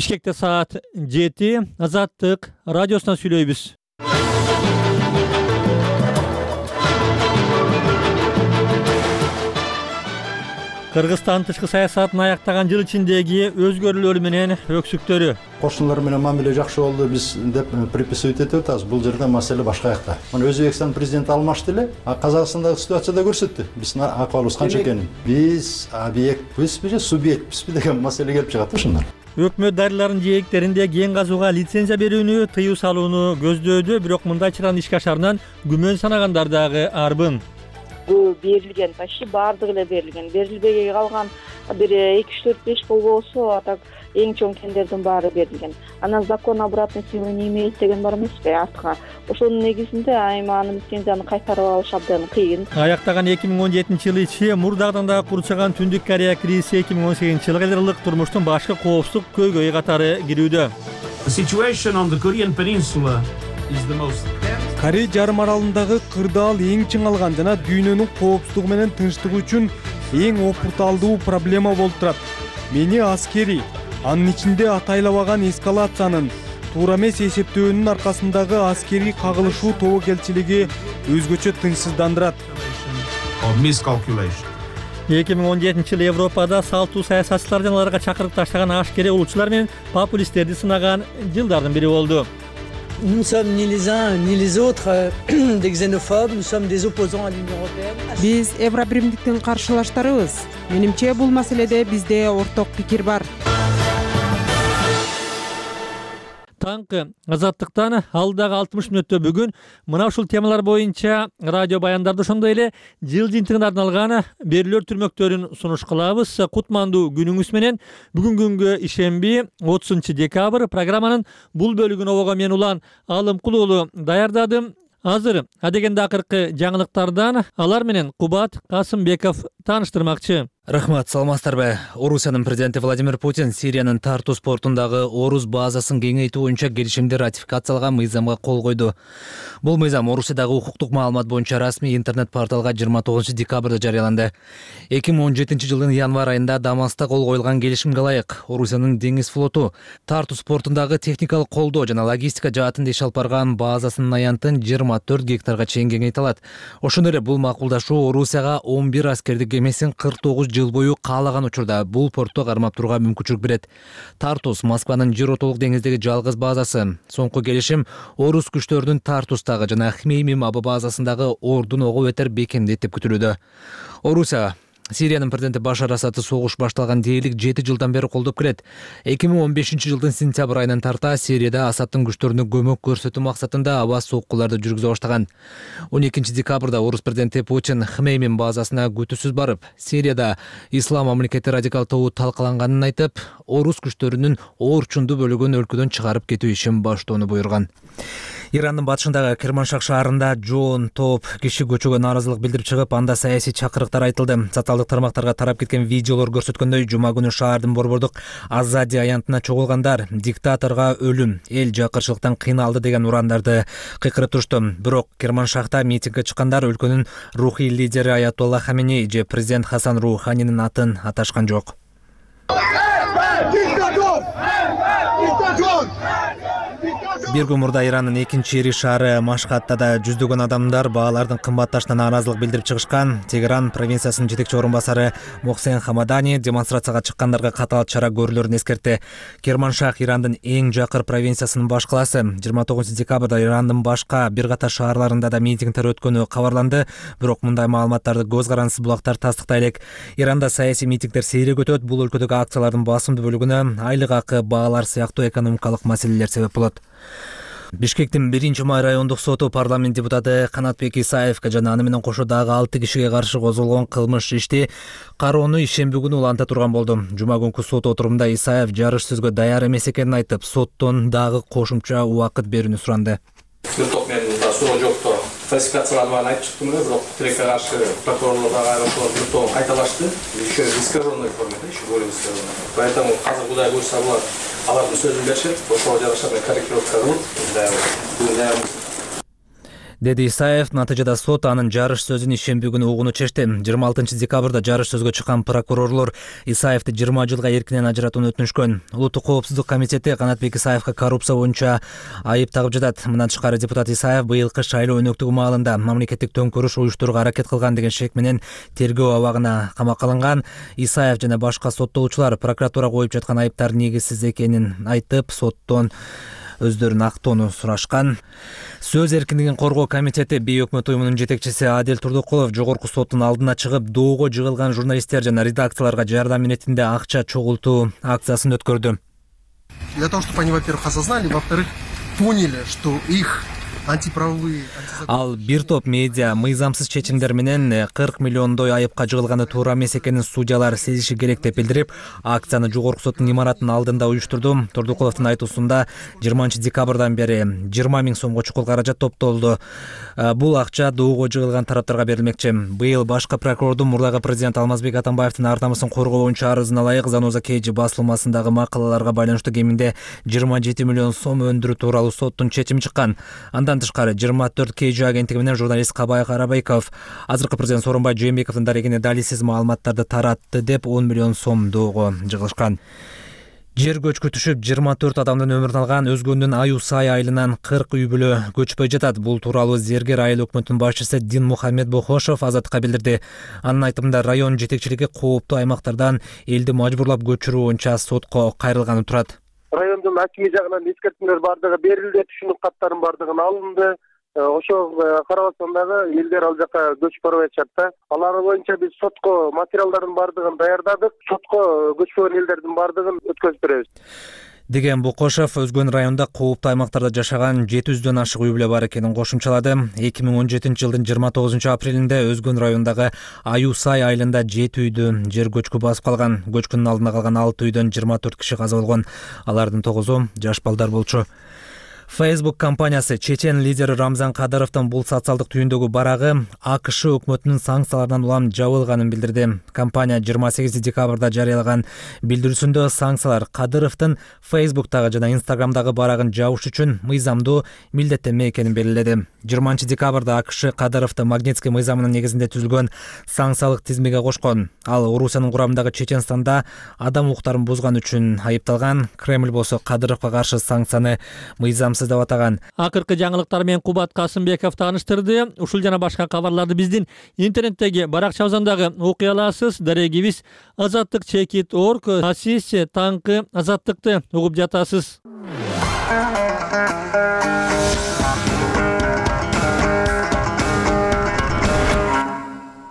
Бишкекте саат 7 Азаттык радиосунан сүйлөйбүз. Кыргызстан тышкы саясатын аяктаган жыл ичиндеги өзгөрүүлөр менен өксүктөрү. Кошуналар менен мамиле жакшы болду, биз деп приписывать этип атабыз. Бул жерде маселе башка жакта. Мына Өзбекстан президенти алмашты эле, а Казакстандагы ситуацияда көрсөттү. Биздин акыбалыбыз канча экенин. Биз объектпизби же субъектпизби деген маселе келип чыгат да ушундан. Өкмөт дарыларын жээктеринде кен казууга лицензия берүүнү тыюу салууну көздөөдү, бирок мындай чыраны ишке ашарынан күмөн санагандар дагы арбын. Бул берилген, почти баардыгы эле берилген. Берилбей калган бир 2-4-5 болбосо, а так эң чоң кендердин баары берилген. Анан закон обратной силы не имеет деген бар эмеспи артка. Ошонун негизинде айманын лицензияны кайтарып алыш абдан кыйын. Аяктаган 2017-жылы ичи мурдагыдан дагы курчаган Түндүк Корея кризиси 2018-жылга кадарлык турмуштун башкы коопсуздук көйгөйү катары кирүүдө. Корей жарым аралындагы кырдаал эң чыңалган жана дүйнөнүн коопсуздугу менен тынчтыгы үчүн эң опурталдуу проблема болуп турат. Мени аскери, анын ичинде атайлабаган эскалациянын, туура эмес эсептөөнүн аркасындагы аскерий кагылышуу тобокелчилиги өзгөчө тынчсыздандырат. 2017-жылы Европада салтуу саясатчылар жана аларга чакырып таштаган ашкере улуучулар менен популисттерди сынаган жылдардын бири болду. Nous ne sommes ni les uns ni les autres des xénophobes, nous sommes des opposants à l'Union européenne. Биз Евробиримдиктин каршылаштарыбыз. Менимче бул маселеде бизде орток пикир бар. Таңкы Азаттыктан алдагы 60 мүнөттө бүгүн мына ушул темалар боюнча радио баяндарды ошондой эле жыл жыйынтыгына арналган берүүлөр түрмөктөрүн сунуш кылабыз. Кутмандуу күнүңүз менен бүгүнкү күнгө ишемби 30 декабрь программанын бул бөлүгүн обого мен Улан Алымкул уулу даярдадым. Азыр адегенде акыркы жаңылыктардан алар менен Кубат Касымбеков тааныштырмакчы. Рахмат, саламатсыздарбы? Орусиянын президенти Владимир Путин Сириянын Тартус портундагы Орус базасын кеңейтүү боюнча келишимди ратификациялаган мыйзамга кол койду. Бул мыйзам Орусиядагы укуктук маалымат боюнча расмий интернет-порталга 29 декабрда жарыяланды. 2017-жылдын январь айында Дамаста кол коюлган келишимге ылайык Орусиянын деңиз флоту Тартус портундагы техникалык колдоо жана логистика жаатында иш алып барган базасынын аянтын 24 гектарга чейин кеңейте алат. Ошондой эле бул макулдашуу Орусияга 11 аскердик кемесин 49 жыл бою каалаган учурда бул портто кармап турууга мүмкүнчүлүк берет. Тартус Москванын Жиротолук деңиздеги жалгыз базасы. Соңку келишим орус күчтөрүнүн Тартустагы жана Хмеймим аба базасындагы ордун ого бетер бекемдейт деп күтүлүүдө. Орусия Сириянын президенти Башар Асадты согуш башталган дээрлик 7 жылдан бери колдоп келет. 2015-жылдын сентябрь айынан тарта Сирияда Асадтын күчтөрүнө көмөк көрсөтүү максатында аба соккуларды жүргүзө баштаган. 12 декабрда орус президенти Путин Хмеймим базасына күтүүсүз барып, Сирияда ислам мамлекети радикал тобу талкаланганын айтып, орус күчтөрүнүн орчундуу бөлүгүн өлкөдөн чыгарып кетүү ишин баштоону буйруган. Ирандын батышындагы Керманшах шаарында жоон топ киши көчөгө нааразылык билдирип чыгып, анда саясий чакырыктар айтылды. Социалдык тармактарга тарап кеткен видеолор көрсөткөндөй, жума күнү шаардын борбордук Азади аянтына чогулгандар диктаторго өлүм, эл жакырчылыктан кыйналды деген урандарды кыйкырып турушту. Бирок Керманшахта митингге чыккандар өлкөнүн рухий лидери Аятолла Хаменей же президент Хасан Руханинин атын аташкан жок. Бир күн мурда Ирандын экинчи ири шаары Машхатта да жүздөгөн адамдар баалардын кымбатташына нааразылык билдирип чыгышкан. Тегеран провинциясынын жетекчи орун басары Мохсен Хамадани демонстрацияга чыккандарга катаал чара көрүлөрүн эскертти. Керманшах Ирандын эң жакыр провинциясынын баш калаасы. 29 декабрда Ирандын башка бир катар шаарларында да митингдер өткөнү кабарланды, бирок мындай маалыматтарды көз карансыз булактар тастыктай элек. Иранда саясий митингдер сейрек өтөт. Бул өлкөдөгү акциялардын басымдуу бөлүгүнө айлык акы, баалар сыяктуу экономикалык маселелер себеп болот. Бишкектин 1-май райондук соту парламент депутаты Канатбек Исаевге жана аны менен кошо дагы 6 кишиге каршы козголгон кылмыш ишти кароону ишемби күнү уланта турган болду. Жума күнкү сот отурумда Исаев жарыш сөзгө даяр эмес экенин айтып, соттон дагы кошумча убакыт берүүнү суранды. Мен суроо жокто фальсификацияланганын айтып чыктым эле, бирок тилекке каршы прокурорлор дагы айрым кайталашты. Еще в искаженной форме, еще более искаженной. Поэтому азыр кудай буйрса булар алардын сөзүн беришет, ошого жараша корректировка кылып, деди Исаев. Натыйжада сот анын жарыш сөзүн ишемби күнү угууну чечти. 26 декабрда жарыш сөзгө чыккан прокурорлор Исаевди 20 жылга эркинен ажыратууну өтүнүшкөн. Улуттук коопсуздук комитети Канатбек Исаевге коррупция боюнча айып тагып жатат. Мындан тышкары депутат Исаев быйылкы шайлоо өнөктүгү маалында мамлекеттик төңкөрүш уюштурууга аракет кылган деген шек менен тергөө абагына камакка алынган. Исаев жана башка соттолуучулар прокуратура коюп жаткан айыптардын негизсиз экенин айтып, соттон өздөрүн актоону сурашкан. Сөз эркиндигин коргоо комитети бейөкмөт уюмунун жетекчиси Адил Турдукулов жогорку соттун алдына чыгып, доого жыгылган журналисттер жана редакцияларга жардам иретинде акча чогултуу акциясын өткөрдү. Для того, чтобы они, во-первых, осознали, во-вторых, поняли, что их антиправовые... Ал бир топ медиа мыйзамсыз чечимдер менен 40 миллиондой айыпка жыгылганы туура эмес экенин судьялар сезиши керек деп билдирип, акцияны жогорку соттун имаратынын алдында уюштурду. Турдукуловдун айтуусунда 20 декабрдан бери 20 000 сомго чукул каражат топтолду. Бул акча доого жыгылган тараптарга берилмекчи. Быйыл башкы прокурордун мурдагы президент Алмазбек Атамбаевдин ар намысын коргоо боюнча арызына ылайык Заноза Кейджи басылмасындагы макалаларга байланыштуу кеминде 27 миллион сом өндүрүү тууралуу соттун чечими чыккан. Андан тышкары 24 Кейджи агенттиги менен журналист Кабай Карабайков азыркы президент Сооронбай Жээнбековдун дарегине далилсиз маалыматтарды таратты деп 10 миллион сом доого жыгылышкан. Жер көчкү түшүп 24 адамдын өмүрүн алган Өзгөндүн Аюсай айылынан 40 үй бүлө көчпөй жатат. Бул тууралуу Зергер айыл өкмөтүнүн башчысы Дин Мухаммед Бохошов Азаттыкка билдирди. Анын айтымында район жетекчилиги кооптуу аймактардан элди мажбурлап көчүрүү боюнча сотко кайрылганы турат. Райондун акими жагынан эскертүүлөр бардыгы берилди, түшүнүк каттарынын бардыгын алынды. Ошо карабастан дагы элдер ал жака көчүп барбай атышат да. Алар боюнча биз сотко материалдардын бардыгын даярдадык. Сотко көчпөгөн элдердин бардыгын өткөзүп беребиз деген Букошев Өзгөн районунда кооптуу аймактарда жашаган 700дөн ашык үй бүлө бар экенин кошумчалады. 2017 жылдын 29 апрелинде Өзгөн районундагы Аюсай айылында 7 үйдү жер көчкү басып калган. Көчкүнүн алдында калган 6 үйдөн 24 киши каза болгон. Алардын 9-у жаш балдар болчу. Facebook компаниясы чечен лидери Рамзан Кадыровдун бул социалдык түйүндөгү барагы АКШ өкмөтүнүн санкцияларынан улам жабылганын билдирди. Компания 28 декабрда жарыялаган билдирүүсүндө санкциялар Кадыровдун Facebook'тагы жана Instagram'дагы барагын жабыш үчүн мыйзамдуу милдеттенме экенин белгиледи. 20 декабрда АКШ Кадыровду Магнитский мыйзамынын негизинде түзүлгөн санкциялык тизмеге кошкон. Ал Орусиянын курамындагы Чеченстанда адам укуктарын бузган үчүн айыпталган. Кремль болсо Кадыровго каршы санкцияны мыйзамсыз деп атаган. Акыркы жаңылыктар менен Кубат Касымбеков тааныштырды. Ушул жана башка кабарларды биздин интернеттеги баракчабыздагы окуй аласыз. Дарегибиз azattik.org. Сиз таңкы азаттыкты угуп жатасыз.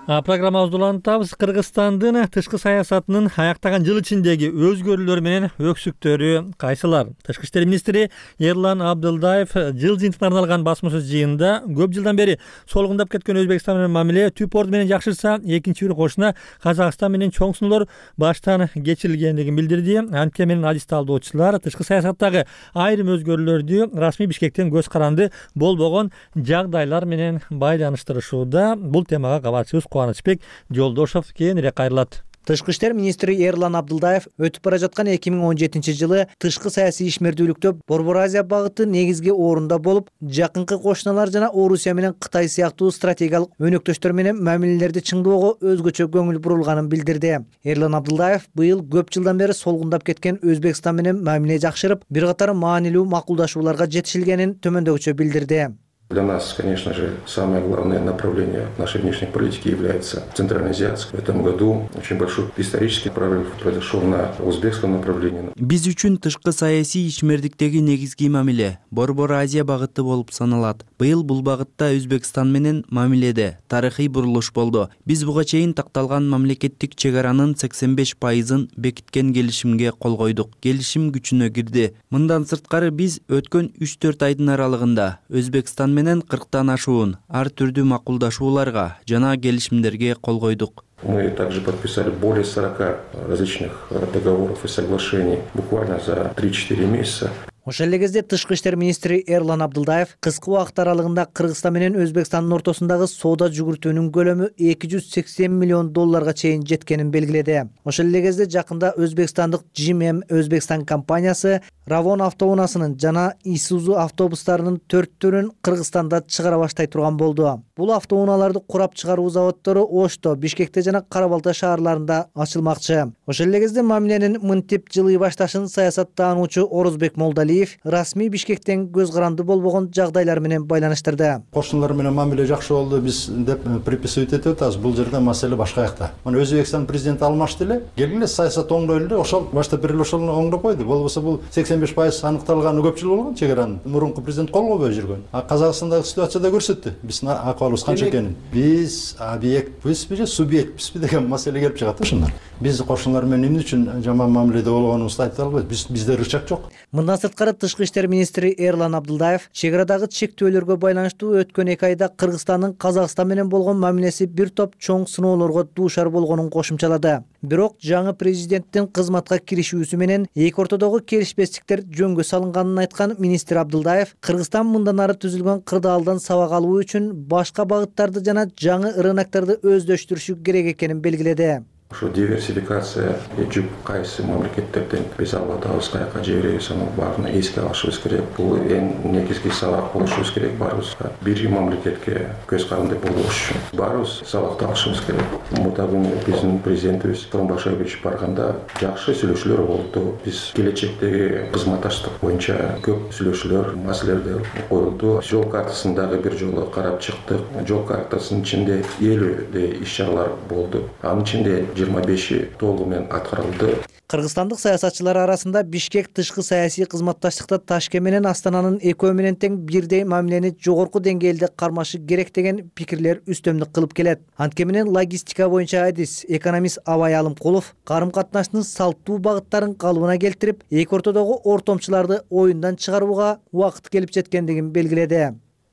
Программабызды улантабыз. Кыргызстандын тышкы саясатынын аяктаган жыл ичиндеги өзгөрүүлөр менен өксүктөрү кайсылар? Тышкы иштер министри Эрлан Абдылдаев жыл жыйынтыгына арналган басма сөз жыйынында көп жылдан бери солгундап кеткен Өзбекстан менен мамиле түп орду менен жакшырса, экинчи бир кошуна Казакстан менен чоң сунуулар баштан кечирилгендигин билдирди. Антке менен адисти алдоочулар тышкы саясаттагы айрым өзгөрүүлөрдү расмий Бишкектен көз каранды болбогон жагдайлар менен байланыштырышууда. Бул темага кабарчыбыз Кубанычбек Жолдошов кийинирээк кайрылат. Тышкы иштер министри Эрлан Абдылдаев өтүп бара жаткан 2017 жылы тышкы саясий ишмердүүлүктө Борбор Азия багыты негизги орунда болуп, жакынкы кошуналар жана Орусия менен Кытай сыяктуу стратегиялык өнөктөштөр менен мамилелерди чыңдоого өзгөчө көңүл бурулганын билдирди. Эрлан Абдылдаев быйыл көп жылдан бери солгундап кеткен Өзбекстан менен мамиле жакшырып, бир катар маанилүү макулдашууларга жетишилгенин төмөндөгүчө билдирди. Для нас, конечно же, самое главное направление нашей внешней политики является центральноазиатское. В этом году очень большой исторический прорыв произошел на узбекском направлении. Биз үчүн тышкы саясий ишмердиктеги негизги мамиле Борбор Азия багыты болуп саналат. Быйыл бул багытта Өзбекстан менен мамиледе тарыхый бурулуш болду. Биз буга чейин такталган мамлекеттик чек аранын 85%-ын бекиткен келишимге кол койдук. Келишим күчүнө кирди. Мындан сырткары биз өткөн 3-4 айдын аралыгында Өзбекстан менен 40тан ашуун ар түрдүү макулдашууларга жана келишимдерге кол койдук. Мы также подписали более 40 различных договоров и соглашений буквально за 3-4 месяца. Ошол эле кезде тышкы иштер министри Эрлан Абдылдаев кыска убакыт аралыгында Кыргызстан менен Өзбекстандын ортосундагы соода жүгүртүүнүн көлөмү $280 миллион чейин жеткенин белгиледи. Ошол эле кезде жакында өзбекстандык GM Өзбекстан компаниясы Ravon автоунаасынын жана Isuzu автобустарынын 4-төрүн Кыргызстанда чыгара баштай турган болду. Бул автоунааларды курап чыгаруу заводдору Ошто, Бишкекте жана Кара-Балта шаарларында ачылмакчы. Ошол эле кезде мамиленин мынтип жылый башташын саясаттаануучу Орозбек Молдалиев расмий Бишкектен көз каранды болбогон жагдайлар менен байланыштырды. Кошуналар менен мамиле жакшы болду, биз деп приписывать этип атабыз. Бул жерде маселе башка жакта. Мына Өзбекстан президенти алмашты эле, келгиле саясат оңдойлу эле, ошол башта бир эле ошону оңдоп койду. Болбосо бул 85% аныкталганы көп жыл болгон чегаранын. Мурунку президент кол койбой жүргөн. Казакстандагы ситуацияда көрсөттү. Биздин акыбалыбыз канча экенин. Биз объектпизби же субъектпизби деген маселе келип чыгат ошондор. Биз кошуналар менен эмне үчүн жаман мамиледе болгонубузду айта албайбыз. Бизде рычаг жок. Мындан сырткары тышкы иштер министри Эрлан Абдылдаев чегарадагы чектөөлөргө байланыштуу өткөн 2 айда Кыргызстандын Казакстан менен болгон мамилеси бир топ чоң сыноолорго дуушар болгонун кошумчалады. Бирок жаңы президенттин кызматка киришүүсү менен эки ортодогу келишпестиктер жөнгө салынганын айткан министр Абдылдаев Кыргызстан мындан ары түзүлгөн кырдаалдан сабак алуу үчүн башка багыттарды жана жаңы рыноктарды өздөштүрүшү керек экенин белгиледи. Ошо диверсификация жүк кайсы мамлекеттерден биз алып атабыз, каяка жиберебиз, анын баарын эске алышыбыз керек. Бул эң негизги сабак болушубуз керек. Баарыбыз бир мамлекетке көз каранды болуш үчүн баарыбыз сабакты алышыбыз керек. Мурда биздин президентибиз Сооронбай барганда жакшы сүйлөшүүлөр болду. Биз келечектеги кызматташтык боюнча көп сүйлөшүүлөр, маселелер коюлду. Жол картасындагы бир жолу карап чыктык. Жол картасынын ичинде 50 иш-чаралар болду. Анын ичинде 25 толугу менен аткарылды. Кыргызстандык саясатчылар арасында Бишкек тышкы саясий кызматташтыкта Ташкент менен Астананын экөө менен тең бирдей мамилени жогорку деңгээлде кармашы керек деген пикирлер үстөмдүк кылып келет. Антке менен логистика боюнча адис экономист Абай Алымкулов карым катнаштын салттуу багыттарын калыбына келтирип, эки ортодогу ортомчуларды оюндан чыгарууга убакыт келип жеткендигин белгиледи.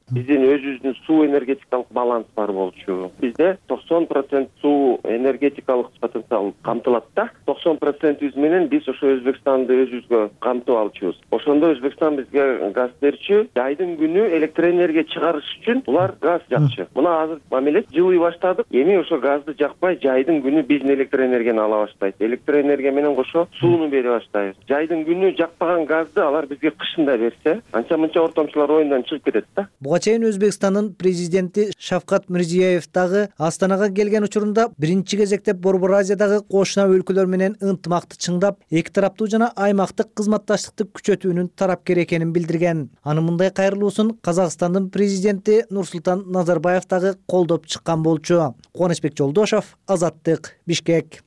Биздин өзүбүздүн суу энергетикалык баланс бар болчу. Бизде 90% суу энергетикалык потенциал камтылат да. 90% менен биз ошо Өзбекстанды өзүбүзгө камтып алчубуз. Ошондо Өзбекстан бизге газ берчү. Жайдын күнү электроэнергия чыгарыш үчүн булар газ жакчы. Мына азыр мамиле жылый баштадык. Эми ошо газды жакпай, жайдын күнү биздин электроэнергияны ала баштайт. Электроэнергия менен кошо сууну бере баштайбыз. Жайдын күнү жакпаган газды алар бизге кышында берсе, анча-мынча ортомчулар оюндан чыгып кетет да. Чейин Өзбекстандын президенти Шавкат Мирзиёев дагы Астанага келген учурунда биринчи кезекте Борбор Азиядагы кошуна өлкөлөр менен ынтымакты чыңдап, эки тараптуу жана аймактык кызматташтыкты күчөтүүнүн тарапкер экенин билдирген. Анын мындай кайрылуусун Казакстандын президенти Нурсултан Назарбаев дагы колдоп чыккан болчу. Кубанычбек Жолдошов, Азаттык, Бишкек.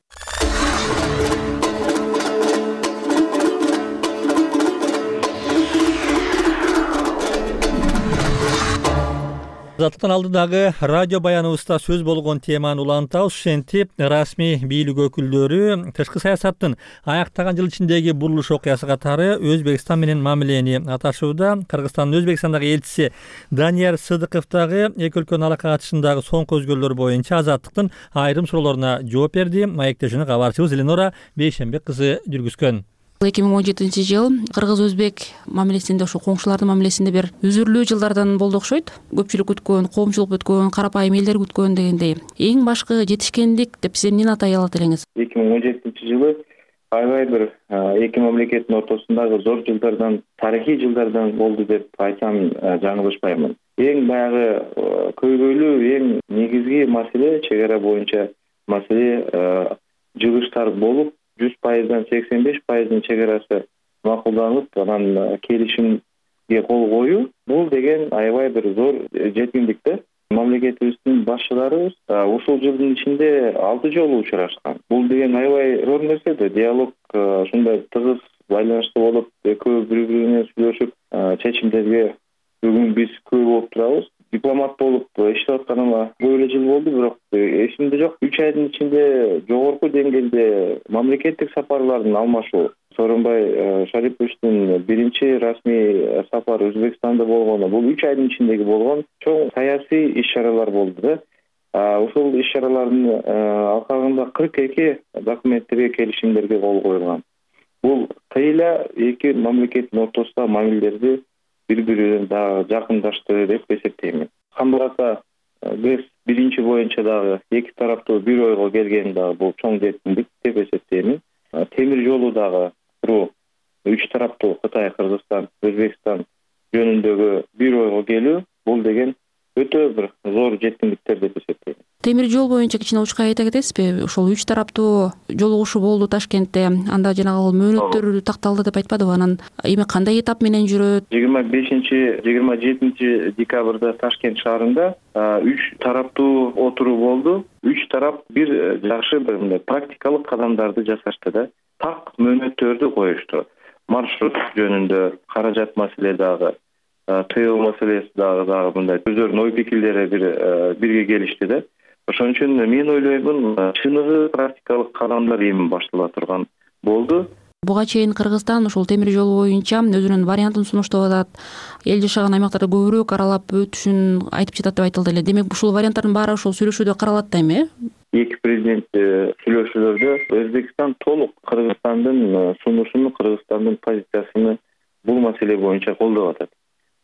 Азаттыктан алдыдагы радио баяныбызда сөз болгон теманы улантабыз. Ошентип, расмий бийлик өкүлдөрү тышкы саясаттын аяктаган жыл ичиндеги бурулуш окуясы катары Өзбекстан менен мамилени аташууда. Кыргызстандын Өзбекстандагы элчиси Данияр Сыдыков дагы эки өлкөнүн алака катышындагы соңку өзгөрүүлөр боюнча Азаттыктын айрым суроолоруна жооп берди. Маектешини кабарчыбыз Эленора Бейшембек кызы жүргүзгөн. 2017 жыл кыргыз-өзбек мамилесинде, ошо коңшулардын мамилесинде бир үзүрлүү жылдардан болду окшойт. Көпчүлүк күткөн, коомчулук күткөн, карапайым элдер күткөн дегендей. Эң башкы жетишкендик деп сиз эмнени атай алат элеңиз? 2017 жылы аябай бир эки мамлекеттин ортосундагы зор жылдардан, тарыхый жылдардан болду деп айтсам жаңылышпаймын. Эң баягы көйгөйлүү, эң негизги маселе чегара боюнча маселе жыгыштар болуп, 100%дан 85% чегарасы макулданып, анан келишимге кол коюу. Бул деген аябай бир зор жеткиндик да. Мамлекетибиздин башчылары ушул жылдын ичинде 6 жолу учурашкан. Бул деген аябай зор нерсе да. Диалог ушундай тыгыз байланышта болуп, экөө бири-бири сүйлөшүп, чечимдерге бүгүн биз көп болуп турабыз. Дипломат болуп иштеп атканыма көп эле жыл болду, бирок эсимде жок. 3 айдын ичинде жогорку деңгээлде мамлекеттик сапарлардын алмашуу. Сооронбай Шариповичтин биринчи расмий сапары Өзбекстанда болгону, бул 3 айдын ичиндеги болгон чоң саясий иш-чаралар болду да. Ушул иш-чаралардын алкагында 42 документтерге, келишимдерге кол коюлган. Бул тыйла эки мамлекеттин ортосундагы мамилелерди бири биринен дагы жакындаштырды деп эсептейм. Кандай болсо ГЭС биринчи боюнча дагы эки тараптуу бир ойго келгени дагы бул чоң жетимдик деп эсептейм. Темир жолу дагы куруу үч тараптуу Кытай, Кыргызстан, Өзбекстан жөнүндөгү бир ойго келүү бул деген өтө бир зор жетимдиктер деп эсептейм. Темир жол боюнча кичине учка айта кетесизби? Ошол үч тараптуу жолугушуу болду Ташкентте. Анда жанагы мөөнөттөр такталды деп айтпадыбы? Анан эми кандай этап менен жүрөт? 25-27 декабрда Ташкент шаарында үч тараптуу отуруу болду. Үч тарап бир жакшы бир практикалык кадамдарды жасашты да. Так мөөнөттөрдү коюшту. Маршрут жөнүндө, каражат маселе дагы, тыюу маселеси дагы мындай өздөрүнүн ой пикирлери бирге келишти да. Ошон үчүн мен ойлоймун, чыныгы практикалык кадамдар эми баштала турган болду. Буга чейин Кыргызстан ушул темир жол боюнча өзүнүн вариантын сунуштап атат. Эл жашаган аймактарды көбүрөөк аралап өтүшүн айтып жатат деп айтылды эле. Демек ушул варианттардын баары ушул сүйлөшүүдө каралат да эми, Эки президент сүйлөшүүлөрдө Өзбекстан толук Кыргызстандын сунушун, Кыргызстандын позициясын бул маселе боюнча колдоп атат.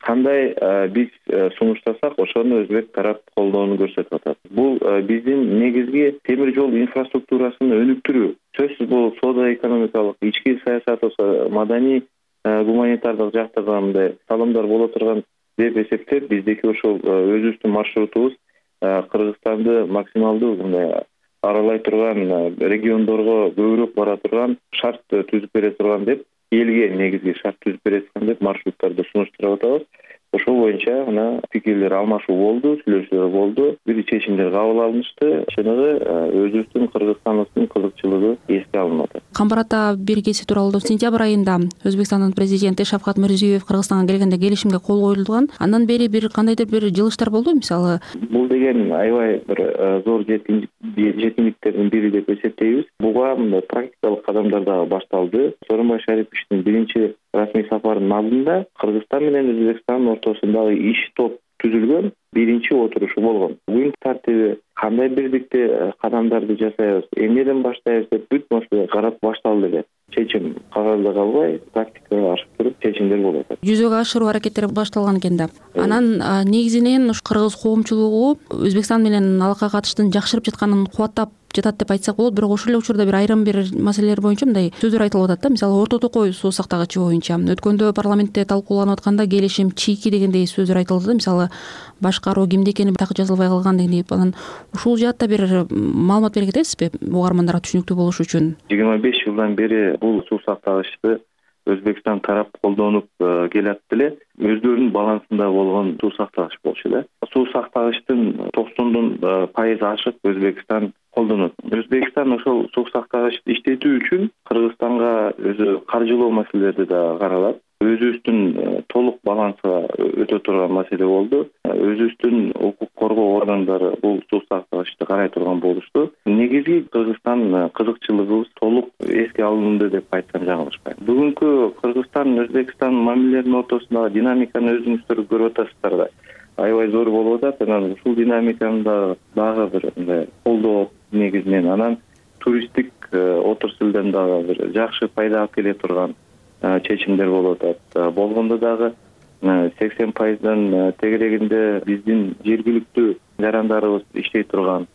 Кандай биз сунуштасак, ошону өзбек тарап колдоону көрсөтүп атат. Бул биздин негизги темир жол инфраструктурасын өнүктүрүү. Сөзсүз бул соода экономикалык, ички саясат болсо, маданий, гуманитардык жактагы мындай салымдар боло турган деп эсептеп, биздики ошол өзүбүздүн маршрутубуз Кыргызстанды максималдуу мындай аралай турган, региондорго көбүрөөк бара турган шарт түзүп бере турган деп, элге негизги шарт түзүп бере турган деп маршруттарды сунуштуруп атабыз. Ошол боюнча мына пикирлер алмашуу болду, сүйлөшүүлөр болду, бир чечимдер кабыл алынышты. Чыныгы өзүбүздүн Кыргызстандын кызыкчылыгы эске алынып атат. Камбар ата бир кеси тууралуу сентябрь айында Өзбекстандын президенти Шавкат Мирзиёев Кыргызстанга келгенде келишимге кол коюлган. Андан бери бир кандайдыр бир жылыштар болду, мисалы? Бул деген аябай бир зор жетимдиктердин бири деп эсептейбиз. Буга мындай практикалык кадамдар дагы башталды. Сооронбай Шариповичтин биринчи расмий сапарынын алдында Кыргызстан менен Өзбекстандын ортосундагы иш топ түзүлгөн, биринчи отурушу болгон. Күн тартиби кандай бирдикте кадамдарды жасайбыз, эмнеден баштайбыз деп бүт маселе карап башталды эле. Чечим кагазда калбай, практикага ашып туруп чечимдер болуп атат. Жүзөгө ашыруу аракеттери башталган экен да. Анан негизинен кыргыз коомчулугу Өзбекстан менен алакка катыштын жакшырып жатканын кубаттап жатат деп айтсак болот. Бирок ошол эле учурда бир айрым бир маселелер боюнча мындай сөздөр айтылып атат да. Мисалы Орто Токой суу сактагычы боюнча өткөндө парламентте талкууланып атканда келишим чийки дегендей сөздөр айтылды да. Мисалы башкаруу кимде экени так жазылбай калган дегендей. Анан ушул жаатта бир маалымат бере кетесизби угармандарга түшүнүктүү болуш үчүн? 25 жылдан бери бул суу сактагычты Өзбекстан тарап колдонуп келат эле. Өздөрүнүн балансында болгон суу сактагыч болчу да. Суу сактагычтын 90% ашык Өзбекстан колдонот. Өзбекстан ошол суу сактагычты иштетүү үчүн Кыргызстанга өзү каржылоо маселелерди да каралат. Өзүбүздүн толук балансыга өтө турган маселе болду. Өзүбүздүн укук коргоо органдары бул суу сактагычты карай турган болушту. Негизги Кыргызстан кызыкчылыгыбыз толук эске алынды деп айтсам жаңылышпайм. Бүгүнкү Кыргызстан Өзбекстан мамилелеринин ортосундагы динамиканы өзүңүздөр көрүп атасыздар да. Аябай зор болуп атат. Анан ушул динамиканы дагы бир мындай колдоо негизинен, анан туристтик отраслдан дагы бир жакшы пайда алып келе турган чечимдер болуп атат. Болгондо дагы 80%дан тегерегинде биздин жергиликтүү жарандарыбыз иштей турган.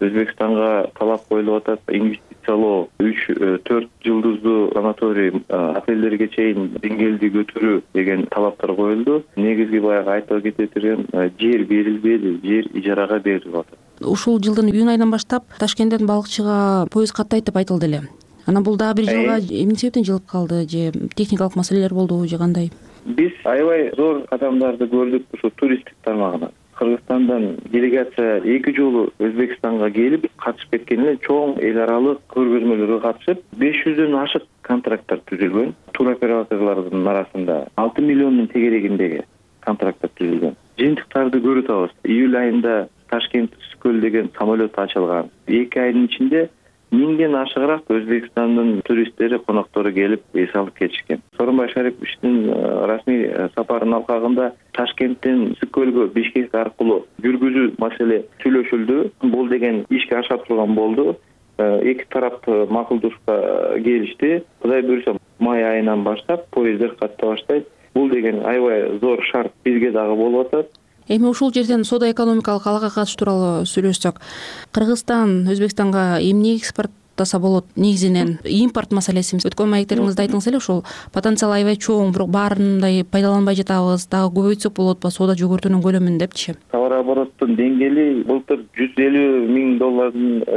Өзбекстанга талап коюлуп атат, инвестициялоо 3-4 жылдыздуу санаторий, отелдерге чейин деңгээлди көтөрүү деген талаптар коюлду. Негизги баягы айтып кетирген жер берилбеди, жер ижарага берилип атат. Ушул жылдын июнь айынан баштап Ташкенттен Балыкчыга поезд каттайт деп айтылды эле. Анан бул дагы бир жылга эмне себептен жылып калды, же техникалык маселелер болдубу, же кандай? Биз аябай зор кадамдарды көрдүк ушул туристтик тармагынан. Кыргызстандан делегация 2 жолу Өзбекстанга келип катышып кеткен эле, чоң эл аралык көргөзмөлөргө катышып 500дөн ашык контракттар түзүлгөн. Туроператорлордун арасында 6 миллиондун тегерегиндеги контракттар түзүлгөн. Жыйынтыктарды көрүп атабыз. Июль айында Ташкент Түскөл деген самолет ачылган. 2 айдын ичинде 1000ден ашыгыраак Өзбекстандын туристтери, коноктору келип эс алып кетишкен. Сооронбай Шариповичтин расмий сапарынын алкагында Ташкенттен Түскөлгө Бишкек аркылуу жүргүзүү маселе сүйлөшүлдү. Бул деген ишке аша турган болду. Эки тарап макулдушка келишти. Кудай буйрса май айынан баштап поезддер ката баштайт. Бул деген аябай зор шарт бизге дагы болуп атат. Эми ушул жерден соода экономикалык алага катыш тууралуу сүйлөшсөк, Кыргызстан Өзбекстанга эмне экспорттаса болот? Негизинен импорт маселеси. Өткөн маектериңизде айттыңыз эле, ушул потенциал аябай чоң, бирок баарындай пайдаланбай жатабыз, дагы көбөйтсөк болот ба соода жүгүртүүнүн көлөмүн депчи. Товар обороттун деңгээли былтыр $150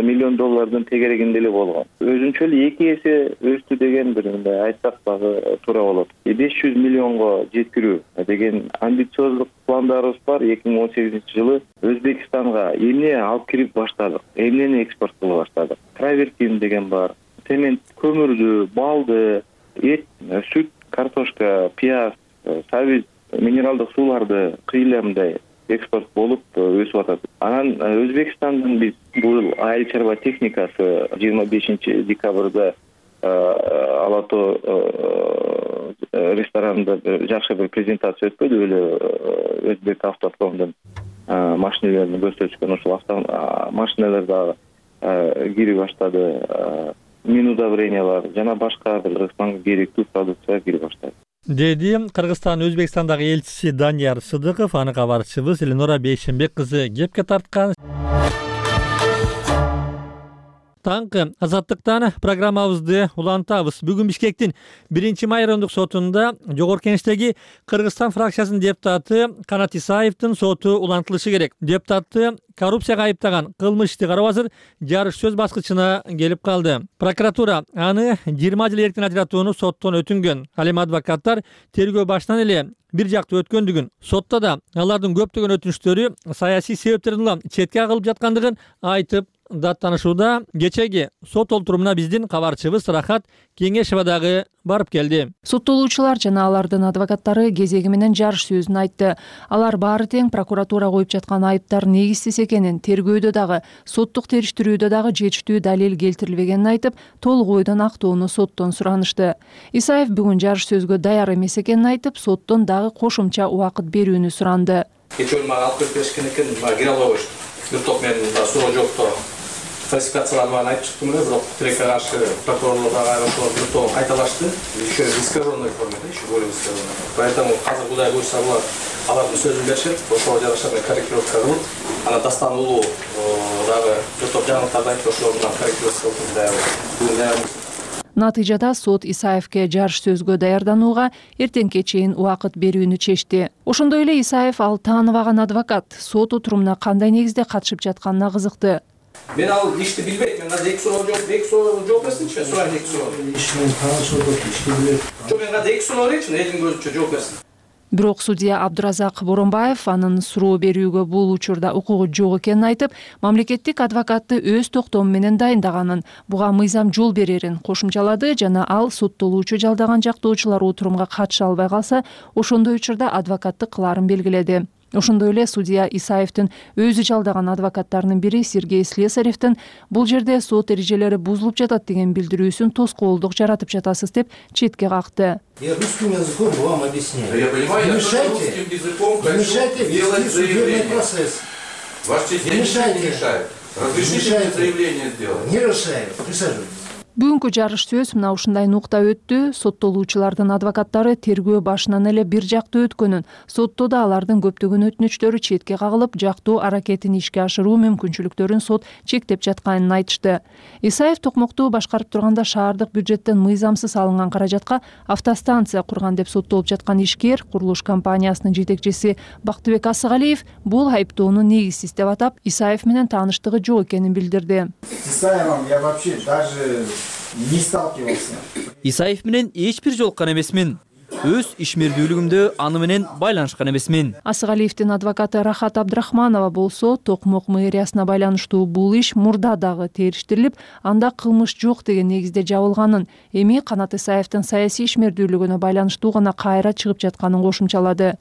миллион тегерегинде эле болгон. Өзүнчө эле 2 эсе өстү деген бир мындай айтсак дагы туура болот. 500 миллионго жеткирүү деген амбициоздук пландарыбыз бар. 2018-жылы Өзбекстанга эмне алып кирип баштадык, эмнени экспорт кылып баштадык. Травертин деген бар, цемент, көмүрдү, балды, эт, сүт, картошка, пияз, сабиз, минералдык сууларды кыйламдай экспорт болуп өсүп атат. Анан Өзбекстандын биз бул айыл чарба техникасы 25 декабрда Алато ресторанында жакшы бир презентация өтпөдү беле, Өзбек автопромдун машиналарын көрсөтүшкөн. Ошол машиналар дагы кирип баштады, мин удобрениялар жана башка бир Кыргызстанга керектүү продукция кирип баштады. Деди Кыргызстан Өзбекстандагы элчиси Данияр Сыдыков. Аны кабарчыбыз Эленора Бейшенбек кызы кепке тарткан. Таңкы Азаттыктан программабызды улантабыз. Бүгүн Бишкектин 1-май райондук сотунда Жогорку Кеңештеги Кыргызстан фракциясынын депутаты Канат Исаевдин соту улантылышы керек. Депутатты коррупцияга айыптаган кылмыш ишти кароо азыр жарыш сөз баскычына келип калды. Прокуратура аны 20 жыл эркин ажыратууну соттон өтүнгөн. Ал эми адвокаттар тергөө башынан эле бир жактуу өткөндүгүн, сотто да алардын көптөгөн өтүнүштөрү саясий себептерден четке кагылып жаткандыгын айтып даттанышууда. Кечеги сот олтурумуна биздин кабарчыбыз Рахат Кеңешова дагы барып келди. Соттолуучулар жана алардын адвокаттары кезеги менен жарыш сөзүн айтты. Алар баары тең прокуратура коюп жаткан айыптар негизсиз экенин, тергөөдө дагы, соттук териштирүүдө дагы жетиштүү далил келтирилбегенин айтып, толук ойдон актоону соттон суранышты. Исаев бүгүн жарыш сөзгө даяр эмес экенин айтып, соттон дагы кошумча убакыт берүүнү суранды. Кечээ мага алып келип беришкен экен, мага кире албай коюшту. Бир топ мен суроо жокто фальсификацияланганын айтып чыктым эле, бирок тилекке каршы прокурорлор дагы айрымчылар бир топ кайталашты. Еще в искаженной форме, еще более искаженной. Поэтому азыр кудай буйрса алардын сөзүн беришет, ошого жараша корректировка кылып, анан Дастан уулу дагы бир топ жаңылыктарды айтып, ошолор менен корректировка кылып. Натыйжада сот Исаевке жарыш сөзгө даярданууга эртеңке чейин убакыт берүүнү чечти. Ошондой эле Исаев ал тааныбаган адвокат сот отурумуна кандай негизде катышып жатканына кызыкты. Мен ал ишти билбейм. Мен азыр эки суроо жооп берсинчи, сурайын эки суроо. Ишмен таанышып отуруп, ишти билет. Жок, мен азыр эки суроо берейинчи, элдин көзүнчө жооп берсин. Бирок судья Абдуразак Боронбаев анын суроо берүүгө бул учурда укугу жок экенин айтып, мамлекеттик адвокатты өз токтому менен дайындаганын, буга мыйзам жол берерин кошумчалады жана ал соттолуучу жалдаган жактоочулар отурумга катыша албай калса, ошондой учурда адвокаттык кылаарын белгиледи. Ошондой эле судья Исаевдин өзү жалдаган адвокаттарынын бири Сергей Слесаревдин бул жерде сот эрежелери бузулуп жатат деген билдирүүсүн тоскоолдук жаратып жатасыз деп четке какты. Я русским языком вам объясняю. Я понимаю, не мешайте вести судебный процесс. Ваш честь, я ничего не мешаю. Разрешите мне заявление сделать. Не решаю. Присаживайтесь. Бүгүнкү жарыш сөз мына ушундай нукта өттү. Соттолуучулардын адвокаттары тергөө башынан эле бир жактуу өткөнүн, сотто да алардын көптөгөн өтүнүчтөрү четке кагылып, жактуу аракетин ишке ашыруу мүмкүнчүлүктөрүн сот чектеп жатканын айтышты. Исаев токмокту башкарып турганда шаардык бюджеттен мыйзамсыз алынган каражатка автостанция курган деп соттолуп жаткан ишкер, курулуш компаниясынын жетекчиси Бактыбек Асыгалиев бул айыптоону негизсиз деп атап, Исаев менен тааныштыгы жок экенин билдирди. С Исаевым я вообще даже не сталкивался. Исаев менен эч бир жолуккан эмесмин. Өз ишмердүүлүгүмдө аны менен байланышкан эмесмин. Асыгалиевдин адвокаты Рахат Абдрахманова болсо, Токмок мэриясына байланыштуу бул иш мурда дагы териштирилип, анда кылмыш жок деген негизде жабылганын, эми Канат Исаевдин саясий ишмердүүлүгүнө байланыштуу гана кайра чыгып жатканын кошумчалады.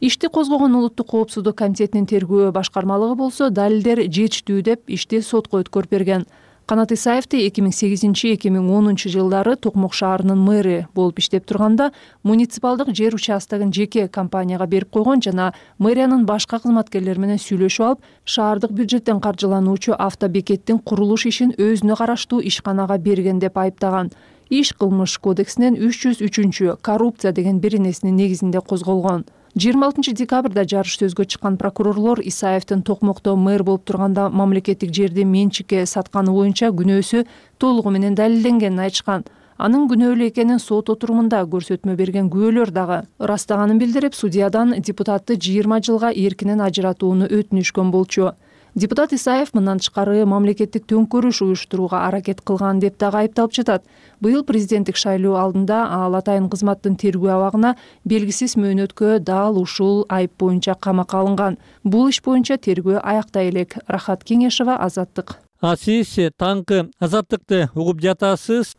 Ишти козгогон Улуттук коопсуздук комитетинин тергөө башкармалыгы болсо, далилдер жетиштүү деп ишти сотко өткөрүп берген. Канат Исаевди 2008-2010 жылдары Токмок шаарынын мэри болуп иштеп турганда муниципалдык жер участогун жеке компанияга берип койгон жана мэриянын башка кызматкерлери менен сүйлөшүп алып, шаардык бюджеттен каржылануучу автобекеттин курулуш ишин өзүнө караштуу ишканага берген деп айыптаган. Иш кылмыш кодексинин 303 коррупция деген беренесинин негизинде козголгон. 26 декабрда жарыш сөзгө чыккан прокурорлор Исаевдин Токмокто мэр болуп турганда мамлекеттик жерди менчикке сатканы боюнча күнөөсү толугу менен далилденгенин айтышкан. Анын күнөөлүү экенин сот отурумунда көрсөтмө берген күбөлөр дагы ырастаганын билдирип, судьядан депутатты 20 жылга эркинен ажыратууну өтүнүшкөн болчу. Депутат Исаев мындан тышкары мамлекеттик төңкөрүш уюштурууга аракет кылган деп дагы айыпталып жатат. Быйыл президенттик шайлоо алдында ал атайын кызматтын тергөө абагына белгисиз мөөнөткө дал ушул айып боюнча камакка алынган. Бул иш боюнча тергөө аяктай элек. Рахат Кеңешова, Азаттык. Сиз таңкы Азаттыкты угуп жатасыз.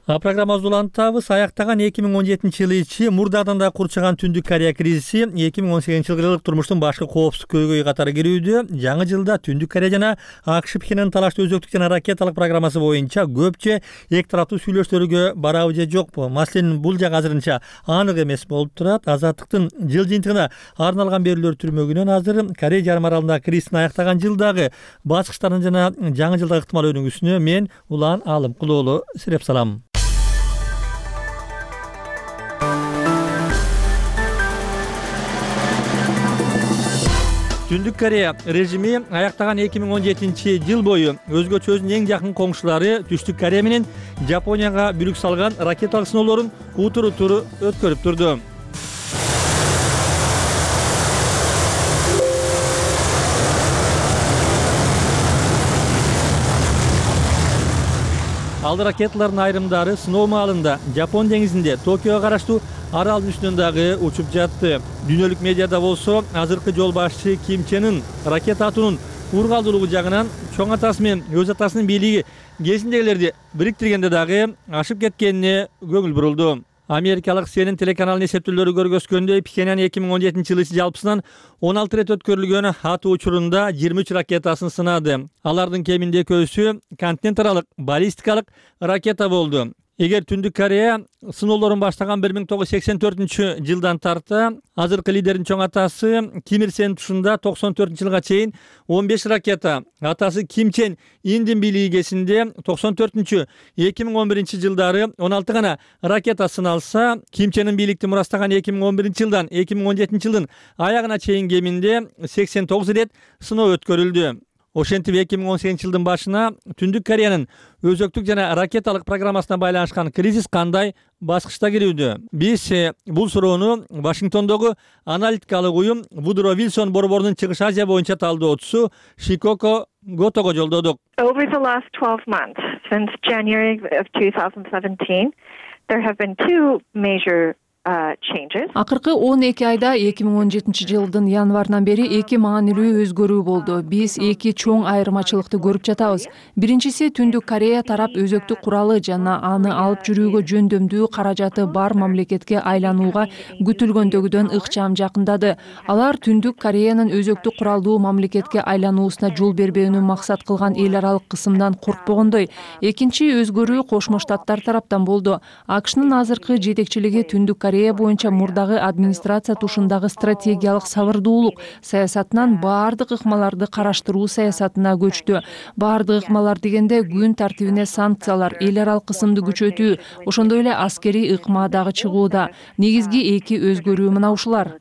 Программабызды улантабыз. Аяктаган 2017 ичи мурдадан да курчаган Түндүк Корея кризиси 2018 жылдык турмуштун башкы коопсуздук көйгөйү катары кирүүдө. Жаңы жылда Түндүк Корея жана АКШ Пхеньян талаштуу өзөктүк жана ракеталык программасы боюнча көпчө эки тараптуу сүйлөшүүлөргө барабы же жокпу? Маселен, бул жак азырынча анык эмес болуп турат. Азаттыктын жыл жыйынтыгына арналган берүүлөр түрмөгүнөн азыр Корея жарым аралындагы кризистин аяктаган жылдагы баскычтарын жана жаңы жылдагы ыктымал өнүгүүсүнө мен Улан Алымкулоолу сиреп салам. Түндүк Корея режими аяктаган 2017 жыл бою өзгөчө өзүнүн эң жакын коңшулары Түштүк Корея менен Жапонияга бүлүк салган ракеталык сыноолорун утур-утур өткөрүп турду. Ал ракеталардын айрымдары сыноо маалында Жапон деңизинде Токиого караштуу аралдын үстүнөн дагы учуп жатты. Дүйнөлүк медиада болсо азыркы жол башчы Ким Чен Ын ракета атуунун ургалдуулугу жагынан чоң атасы менен өз атасынын бийлиги кезиндегилерди бириктиргенде дагы ашып кеткенине көңүл бурулду. Америкалык CNN телеканалынын эсептөөлөрү көргөзгөндөй, Пхеньян 2017 жылы жалпысынан 16 рет өткөрүлгөн атуу учурунда 23 ракетасын сынады. Алардын кеминде экөөсү континент аралык баллистикалык ракета болду. Эгер Түндүк Корея сыноолорун баштаган 1984 жылдан тарта азыркы лидердин чоң атасы Ким Ир Сен тушунда 94 жылга чейин 15 ракета, атасы Ким Чен Индин бийлиги кезинде 94-2011 жылдары 16 гана ракета сыналса, Ким Чен Ын бийликти мурастаган 2011 жылдан 2017 жылдын аягына чейин кеминде 89 рет сыноо өткөрүлдү. Ошентип 2018 жылдын башына Түндүк Кореянын өзөктүк жана ракеталык программасына байланышкан кризис кандай баскычта кирүүдө? Биз бул суроону Вашингтондогу аналитикалык уюм Вудро Вилсон борборунун Чыгыш Азия боюнча талдоочусу Шикоко Готого жолдодук. Over the last 12 months, since January of 2017, there have been two major Акыркы 12 айда 2017 жылдын январынан бери эки маанилүү өзгөрүү болду. Биз эки чоң айырмачылыкты көрүп жатабыз. Биринчиси, Түндүк Корея тарап өзөктүк куралы жана аны алып жүрүүгө жөндөмдүү каражаты бар мамлекетке айланууга күтүлгөндөгүдөн ыкчам жакындады. Алар Түндүк Кореянын өзөктүк куралдуу мамлекетке айлануусуна жол бербөөнү максат кылган эл аралык кысымдан коркпогондой. Экинчи өзгөрүү Кошмо Штаттар тараптан болду. АКШнын азыркы жетекчилиги Түндүк Корея боюнча мурдагы администрация тушундагы стратегиялык сабырдуулук саясатынан баардык ыкмаларды караштыруу саясатына көчтү. Баардык ыкмалар дегенде күн тартибине санкциялар, эл аралык кысымды күчөтүү, ошондой эле аскерий ыкма дагы чыгууда. Негизги эки өзгөрүү мына ушулар.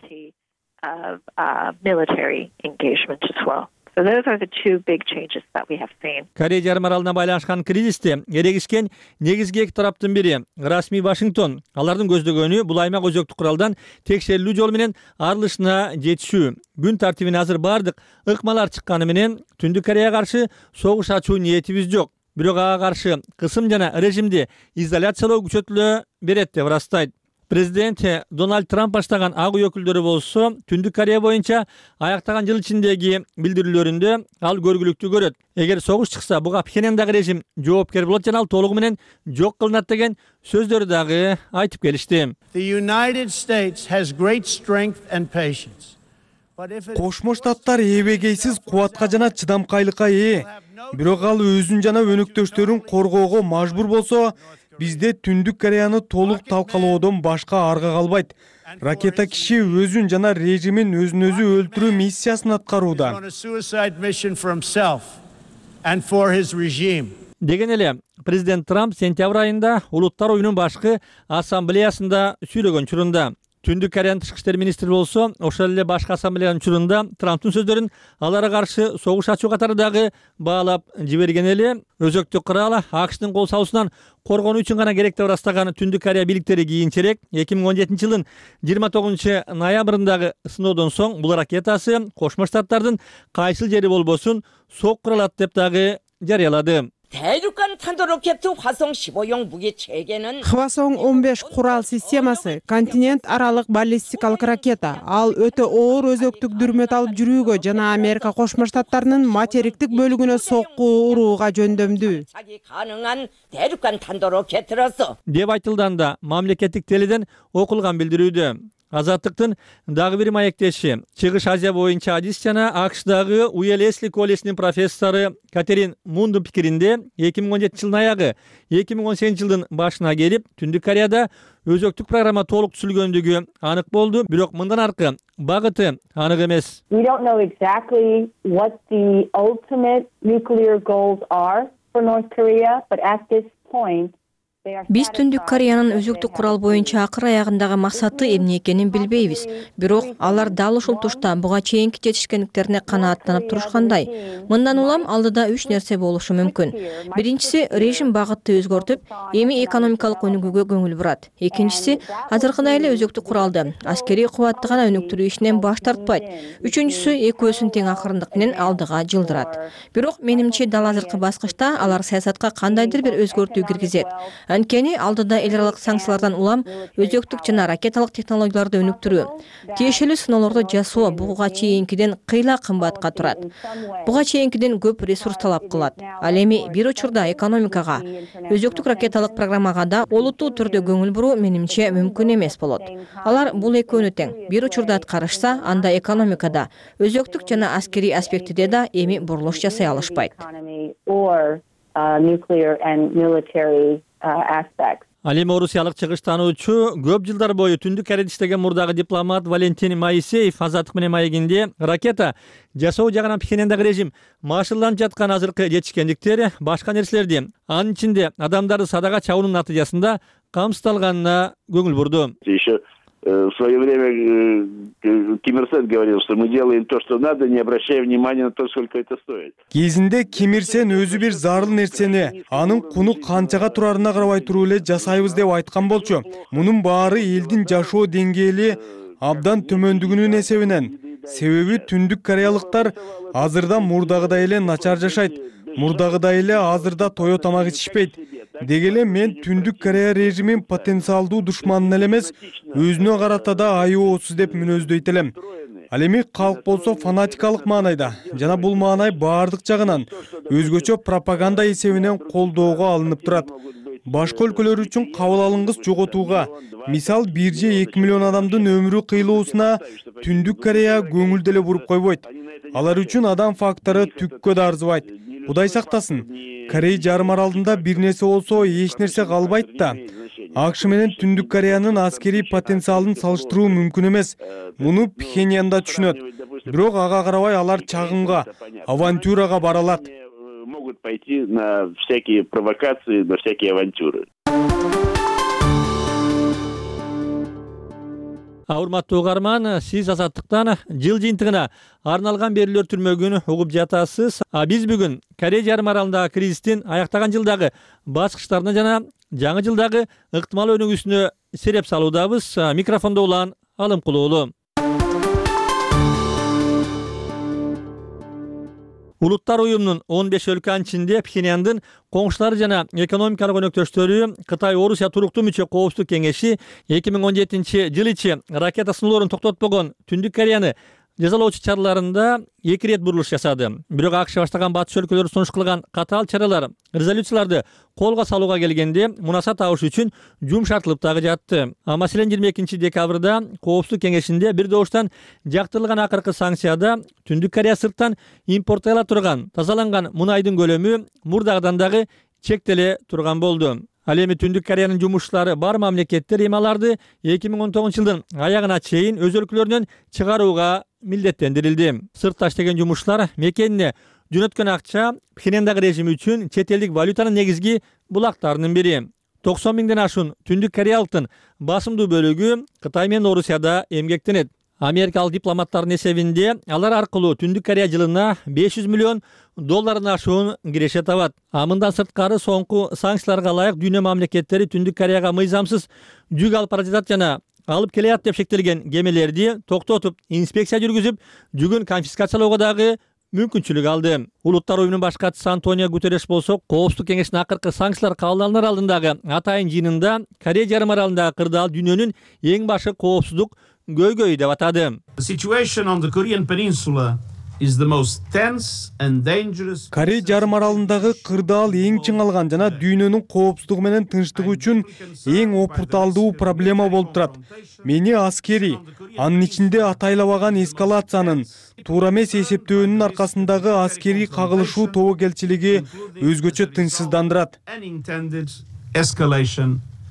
So those are the two big changes that we have seen. Корея жарым аралына байланышкан кризисте эрегишкен негизги эки тараптын бири расмий Вашингтон. Алардын көздөгөнү бул аймак өзөктүк куралдан текшерилүү жолу менен арылышына жетишүү. Күн тартибине азыр бардык ыкмалар чыкканы менен Түндүк Кореяга каршы согуш ачуу ниетибиз жок. Бирок ага каршы кысым жана режимди изоляциялоо күчөтүлө берет деп ырастайт. Президент Дональд Трамп баштаган ак үй өкүлдөрү болсо Түндүк Корея боюнча аяктаган жыл ичиндеги билдирүүлөрүндө ал көргүлүктүү көрөт. Эгер согуш чыкса, буга Пхеньяндагы режим жооптор болот жана ал толугу менен жок кылынат деген сөздөрү дагы айтып келишти. Кошмо Штаттар эбегейсиз кубатка жана чыдамкайлыкка ээ. Бирок ал өзүн жана өнөктөштөрүн коргоого мажбур болсо, бизде Түндүк Кореяны толук талкалоодон башка арга калбайт. Ракета киши өзүн жана режимин өзүн-өзү өлтүрүү миссиясын аткарууда. Деген эле президент Трамп сентябрь айында Улуттар оюнун башкы ассамблеясында сүйлөгөн учурунда Түндүк Кореянын тышкы иштер министри болсо, ошол эле башкы ассамблеянын учурунда Трамптын сөздөрүн аларга каршы согуш ачуу катары дагы баалап жиберген эле. Өзөктүк курал АКШтын кол салуусунан коргонуу үчүн гана керек деп ырастаган Түндүк Корея бийликтери кийинчерээк 2017 жылдын 29 ноябрындагы сыноодон соң бул ракетасы Кошмо Штаттардын кайсыл жери болбосун соккура алат деп дагы жарыялады. 대륙간 탄도 로켓 화성 15용 무기 체계는 Хвасong 15 курал системасы континент аралык баллистикалык ракета. Ал өтө оор өзөктүк дүрмөт алып жүрүүгө жана Америка Кошмо Штаттарынын материктик бөлүгүнө сокку урууга жөндөмдүү. 가능한 대륙간 탄도 로켓으로서 деп айтылганда мамлекеттик теледен окулган билдирүүдө. Азаттыктын дагы бир маектеши Чыгыш Азия боюнча адис жана АКШдагы Уэлесли колледжинин профессору Катерин Мундун пикиринде 2017 жылдын аягы 2018 жылдын башына келип Түндүк Кореяда өзөктүк программа толук түзүлгөндүгү анык болду, бирок мындан аркы багыты анык эмес. We don't know exactly what the ultimate nuclear goals are for North Korea, but at this point Биз Түндүк Кореянын өзөктүк курал боюнча акыр аягындагы максаты эмне экенин билбейбиз. Бирок алар дал ушул тушта буга чейинки жетишкендиктерине канааттанып турушкандай. Мындан улам алдыда 3 нерсе болушу мүмкүн. Биринчиси, режим багытты өзгөртүп, эми экономикалык өнүгүүгө көңүл бурат. Экинчиси, азыркыдай эле өзөктүк куралды аскерий кубатты гана өнүктүрүү ишинен баш тартпайт. Үчүнчүсү, экөөсүн тең акырындык менен алдыга жылдырат. Бирок менимче дал азыркы баскычта алар саясатка кандайдыр бир өзгөртүү киргизет. Анткени алдыда эл аралык санкциялардан улам өзөктүк жана ракеталык технологияларды өнүктүрүү, тиешелүү сыноолорду жасоо буга чейинкиден кыйла кымбатка турат. Буга чейинкиден көп ресурс талап кылат. Ал эми бир учурда экономикага, өзөктүк ракеталык программага да олуттуу түрдө көңүл буруу менимче мүмкүн эмес болот. Алар бул экөөнү тең бир учурда аткарышса, анда экономикада, өзөктүк жана аскерий аспектиде да эми бурулуш жасай алышпайт. Nuclear and military aspects. Ал эми орусиялык чыгыш таануучу көп жылдар бою Түндүк Кореяда иштеген мурдагы дипломат Валентин Моисеев Азаттык менен маегинде ракета жасоо жагынан Пхеньяндагы режим машыгууланып жаткан азыркы жетишкендиктер башка нерселерди, анын ичинде адамдарды садага чабуунун натыйжасында камсыздалганына көңүл бурду. В свое время Ким Ир Сен говорил, что мы делаем то, что надо, не обращая внимания на то, сколько это стоит. Кезинде Ким Ир Сен өзү бир зарыл нерсени анын куну канчага турарына карабай туруп эле жасайбыз деп айткан болчу. Мунун баары элдин жашоо деңгээли абдан төмөндүгүнүн эсебинен. Себеби Түндүк кореялыктар азырда мурдагыдай эле начар жашайт. Мурдагыдай эле азырда тое тамак ичишпейт. Дегеле мен Түндүк Корея режимин потенциалдуу душманын эле эмес, өзүнө карата да айоосуз деп мүнөздөйт элем. Ал эми калк болсо фанатикалык маанайда жана бул маанай баардык жагынан өзгөчө пропаганда эсебинен колдоого алынып турат. Башка өлкөлөр үчүн кабыл алынгыс жоготууга, мисал 1 же 2 миллион адамдын өмүрү кыйлоосуна Түндүк Корея көңүл деле буруп койбойт. Алар үчүн адам фактору түккө да арзыбайт. Кудай сактасын. Корей жарым аралында бир нерсе болсо эч нерсе калбайт да. АКШ менен Түндүк Кореянын аскерий потенциалын салыштыруу мүмкүн эмес. Муну Пхеньянда түшүнөт. Бирок ага карабай алар чагымга, авантюрага бара алат. Могут пойти на всякие провокации, на всякие авантюры. Урматтуу угарман, сиз Азаттыктан жыл жыйынтыгына арналган берүүлөр түрмөгүн угуп жатасыз. Биз бүгүн Корея жарым аралындагы кризистин аяктаган жылдагы баскычтарына жана жаңы жылдагы ыктымал өнүгүүсүнө сереп салуудабыз. Микрофондо улан Алымкулуулу. Улуттар уюмунун 15 өлкөнүн ичинде Пхеньяндын коңшулары жана экономикалык өнөктөштөрү Кытай Орусия туруктуу мүчө коопсуздук кеңеши 2017 жыл ичи ракета сыноолорун токтотпогон Түндүк Кореяны жазалоочу чараларында 2 рет бурулуш жасады. Бирок АКШ баштаган батыш өлкөлөрү сунуш кылган катаал чаралар, резолюцияларды колго салууга келгенде мунаса табыш үчүн жумшартылып дагы жатты. Маселен 22 декабрда Коопсуздук кеңешинде бир добуштан жактырылган акыркы санкцияда Түндүк Корея сырттан импорттола турган тазаланган мунайдын көлөмү мурдагыдан дагы чектеле турган болду. Ал эми Түндүк Кореянын жумушчулары бар мамлекеттер эми аларды 2019 жылдын аягына чейин өз өлкөлөрүнөн чыгарууга милдеттендирилди. Сыртта иштеген жумушчулар мекенине жөнөткөн акча Пхеньяндагы режим үчүн чет элдик валютанын негизги булактарынын бири. 90 миңден ашуун түндүк кореялыктын басымдуу бөлүгү Кытай менен Орусияда эмгектенет. Америкалык дипломаттардын эсебинде алар аркылуу Түндүк Корея жылына $500 миллион ашуун киреше табат. Мындан сырткары соңку санкцияларга ылайык дүйнө мамлекеттери Түндүк Кореяга мыйзамсыз жүк алып бара жатат жана алып келет деп шектелген кемелерди токтотуп, инспекция жүргүзүп, жүгүн конфискациялоого дагы мүмкүнчүлүк алды. Улуттар уюмунун баш катчысы Антонио Гутерреш болсо, Коопсуздук кеңешинин акыркы санкциялар кабыл алынар алдындагы атайын жыйынында Корея жарым аралындагы кырдаал дүйнөнүн эң башы коопсуздук көйгөйү деп атады. Корея жарым аралындагы кырдаал эң чыңалган жана дүйнөнүн коопсуздугу менен тынчтыгы үчүн эң опурталдуу проблема болуп турат. Мени аскери, анын ичинде атайлабаган эскалациянын, туура эмес эсептөөнүн аркасындагы аскерий кагылышуу тобокелчилиги өзгөчө тынчсыздандырат.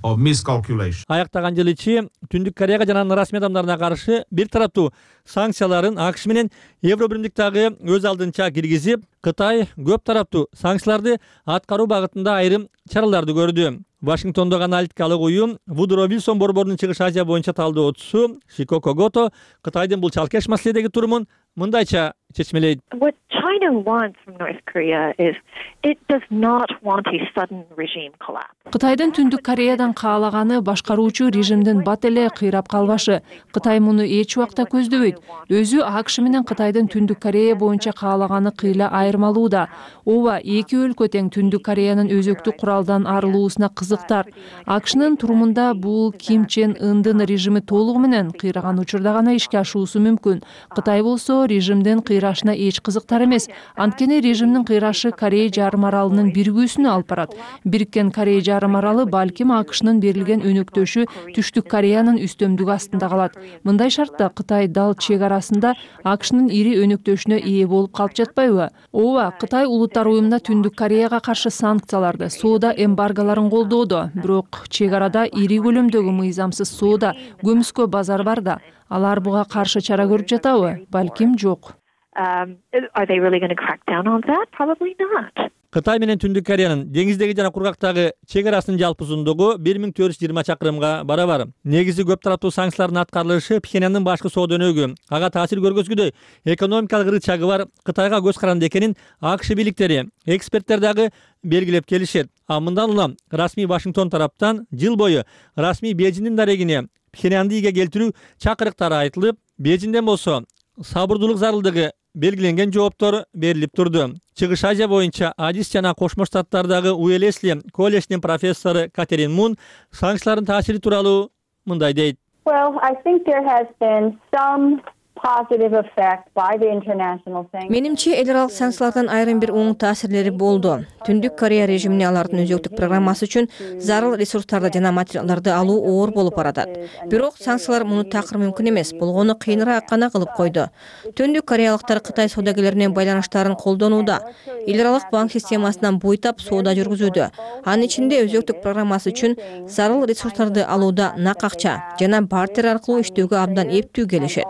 Аяктаган жыл ичи Түндүк Кореяга жана анын расмий адамдарына каршы бир тараптуу санкцияларын АКШ менен Евробиримдик дагы өз алдынча киргизип, Кытай көп тараптуу санкцияларды аткаруу багытында айрым чараларды көрдү. Вашингтондогу аналитикалык уюм Вудро Вилсон борборунун Чыгыш Азия боюнча талдоочусу Шикоко Гото Кытайдын бул чалкеш маселедеги турумун мындайча чечмелейт. What China wants from North Korea is it does not want a sudden regime collapse. Кытайдын Түндүк Кореядан каалаганы башкаруучу режимдин бат эле кыйрап калбашы. Кытай муну эч убакта көздөбөйт. Өзү АКШ менен Кытайдын Түндүк Корея боюнча каалаганы кыйла айырмалууда. Ооба, эки өлкө тең Түндүк Кореянын өзөктүк куралдан арылуусуна кызыктар. АКШнын турумунда бул Ким Чен Ындын режими толугу менен кыйраган учурда гана ишке ашуусу мүмкүн. Кытай болсо режимдин кыйрашына эч кызыктар эмес. Анткени режимдин кыйрашы Корея жарым аралынын биригүүсүнө алып барат. Бириккен Корея жарым аралы балким АКШнын берилген өнөктөшү Түштүк Кореянын үстөмдүгү астында калат. Мындай шартта Кытай дал чек арасында АКШнын ири өнөктөшүнө ээ болуп калып жатпайбы? Ооба, Кытай улуттар уюмунда Түндүк Кореяга каршы санкцияларды, соода эмбарголорун колдоодо. Бирок чек арада ири көлөмдөгү мыйзамсыз соода, көмүскө базар бар да. Алар буга каршы чара көрүп жатабы? Балким жок. Are they really going to crack down on that? Probably not. Кытай менен Түндүк Кореянын деңиздеги жана кургактагы чек арасынын жалпы узундугу 1420 чакырымга барабар. Негизи көп тараптуу санкциялардын аткарылышы Пхеньяндын башкы соода өнөгү, ага таасир көргөзгүдөй экономикалык ырычагы бар Кытайга көз каранды экенин АКШ бийликтери, эксперттер дагы белгилеп келишет. Мындан улам расмий Вашингтон тараптан жыл бою расмий Бейжиңдин дарегине Пхеньянды ийге келтирүү чакырыктары айтылып, Бейжиңден болсо сабырдуулук зарылдыгы белгиленген жооптор берилип турду. Чыгыш Азия боюнча Адис жана Кошмо Штаттардагы Уэлесли колледжинин профессору Катерин Мун санкциялардын таасири тууралуу мындай дейт. Well, I think there has been some positive effect by the international sanctions. Менимче эл аралык санкциялардан айрым бир оң таасирлери болду. Түндүк Корея режимине алардын өзөктүк программасы үчүн зарыл ресурстарды жана материалдарды алуу оор болуп баратат. Бирок санкциялар муну такыр мүмкүн эмес, болгону кыйыныраак гана кылып койду. Түндүк кореялыктар Кытай саудагерлеринин байланыштарын колдонууда. Эл аралык банк системасынан буйтап соода жүргүзүүдө. Анын ичинде өзөктүк программасы үчүн зарыл ресурстарды алууда нак акча жана бартер аркылуу иштөөгө абдан эптүү келишет.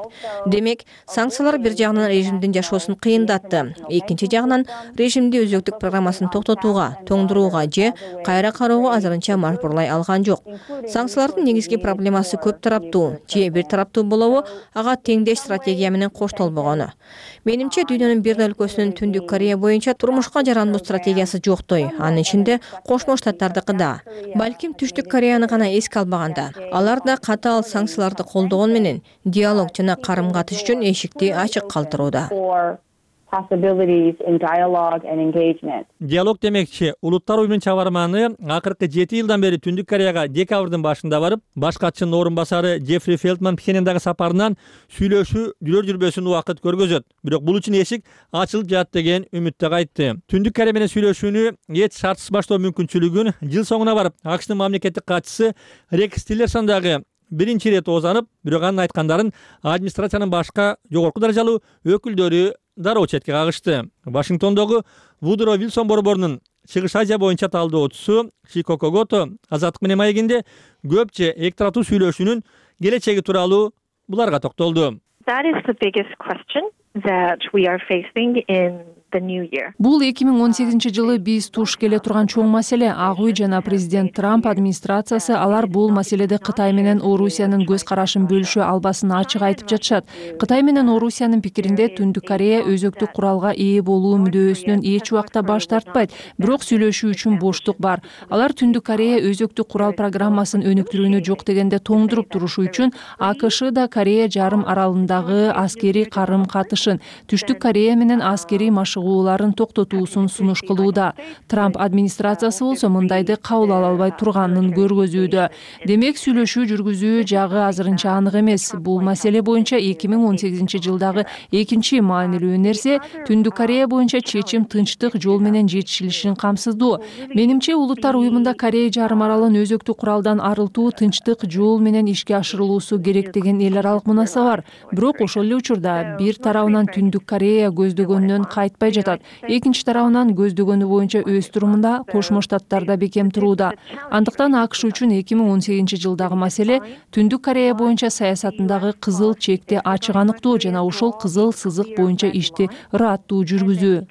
Демек, санкциялар бир жагынан режимдин жашоосун кыйындатты. Экинчи жагынан режимди өзөктүк программасын токтотууга, тоңдурууга же кайра кароого азырынча мажбурлай алган жок. Санкциялардын негизги проблемасы көп тараптуу же бир тараптуу болобу, ага теңдеш стратегия менен коштолбогону. Менимче дүйнөнүн бир өлкөсүнүн Түндүк Корея боюнча турмушка жарандуу стратегиясы жоктой. Анын ичинде Кошмо Штаттардыкы да. Балким Түштүк Кореяны гана эске албаганда, алар да катаал санкцияларды колдогон менен диалог жана карым-катыш үчүн эшикти ачык калтырууда. Possibilities in dialogue and engagement. Диалог демекчи, улуттар уюмунун чабарманы акыркы 7 жылдан бери Түндүк Кореяга декабрдын башында барып, баш катчынын орун басары Джеффри Фелтман Пхеньяндагы сапарынан сүйлөшүү жүрөр-жүрбөсүн убакыт көргөзөт. Бирок бул үчүн эшик ачылып жатат деген үмүттө кайтты. Түндүк Корея менен сүйлөшүүнү эч шартсыз баштоо мүмкүнчүлүгүн жыл соңуна барып АКШнын мамлекеттик катчысы Рекс Тиллерсон дагы биринчи ирет оозанып, бирок анын айткандарын администрациянын башка жогорку даражалуу өкүлдөрү дароо четке кагышты. Вашингтондогу Вудро Вилсон борборунун Чыгыш Азия боюнча талдоочусу Шикоко Гото Азаттык менен маегинде көпчө эки тараптуу сүйлөшүүнүн келечеги тууралуу буларга токтолду. That is the biggest question that we are facing in the new year. Бул 2018-жылы биз туш келе турган чоң маселе. Ак үй жана президент Трамп администрациясы алар бул маселеде Кытай менен Орусиянын көз карашын бөлүшө албасын ачык айтып жатышат. Кытай менен Орусиянын пикиринде Түндүк Корея өзөктүк куралга ээ болуу мүдөөсүнөн эч убакта баш тартпайт, бирок сүйлөшүү үчүн боштук бар. Алар Түндүк Корея өзөктүк курал программасын өнүктүрүүнү жок дегенде тоңдуруп турушу үчүн АКШ да Корея жарым аралындагы аскерий карым-катышын, Түштүк Корея менен аскерий машыгууларын токтотуусун сунуш кылууда. Трамп администрациясы болсо мындайды кабыл ала албай турганын көргөзүүдө. Демек сүйлөшүү жүргүзүү жагы азырынча анык эмес. Бул маселе боюнча 2018-жылдагы экинчи маанилүү нерсе Түндүк Корея боюнча чечим тынчтык жол менен жетишилишин камсыздоо. Менимче Улуттар уюмунда Корея жарым аралын өзөктүк куралдан арылтуу тынчтык жол менен ишке ашырылуусу керек деген эл аралык мунаса бар. Бирок ошол эле учурда бир тарабынан Түндүк Корея көздөгөнүнөн кайтпай жатат. Экинчи тарабынан көздөгөнү боюнча өз турумунда Кошмо Штаттарда бекем турууда. Андыктан АКШ үчүн 2018-жылдагы маселе Түндүк Корея боюнча саясатындагы кызыл чекти ачык аныктоо жана ошол кызыл сызык боюнча ишти ыраттуу жүргүзүү.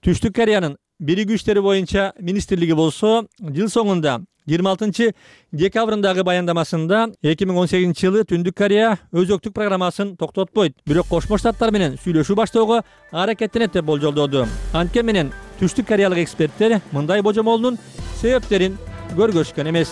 Түштүк Кореянын биригүү иштери боюнча министрлиги болсо жыл соңунда 26 декабрындагы баяндамасында 2018-жылы Түндүк Корея өзөктүк программасын токтотпойт, бирок Кошмо Штаттар менен сүйлөшүү баштоого аракеттенет деп болжолдоду. Анткени менен Түштүк Кореялык эксперттер мындай божомолдун себептерин көргөзгөн эмес.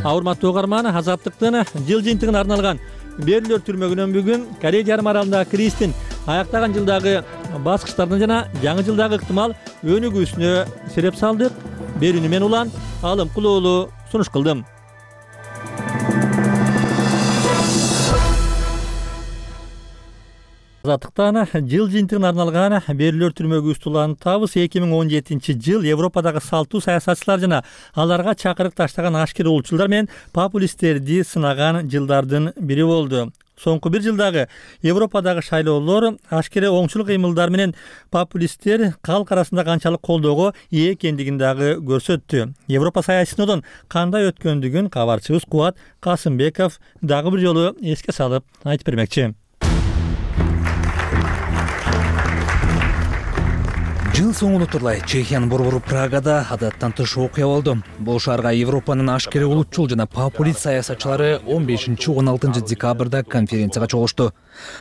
Урматтуу угарман, Азаттыктын жыл жыйынтыгына арналган Берилер түрмөгүнөн бүгүн Корея жарым аралындагы кризистин аяктаган жылдагы баскычтардын жана жаңы жылдагы ыктымал өнүгүүсүнө сереп салдык. Берүүнү мен Улан Алымкул уулу сунуш кылдым. Азаттыктан жыл жыйынтыгына арналган Берилер түрмөгүбүздү улантабыз. 2017-жыл Европадагы салтуу саясатчылар жана аларга чакырык таштаган ашкер улутчулдар менен популисттерди сынаган жылдардын бири болду. Соңку бир жылдагы Европадагы шайлоолор ашкере оңчул кыймылдар менен популисттер калк арасында канчалык колдоого ээ экендигин дагы көрсөттү. Европа саясатынан кандай өткөндүгүн кабарчыбыз Кубат Касымбеков дагы бир жолу эске салып айтып бермекчи. Жыл соңу утурлай Чехиянын борбору Прагада адаттан тыш окуя болду. Бул шаарга Европанын ашкере улутчул жана популист саясатчылары 15-16 декабрда конференцияга чогулушту.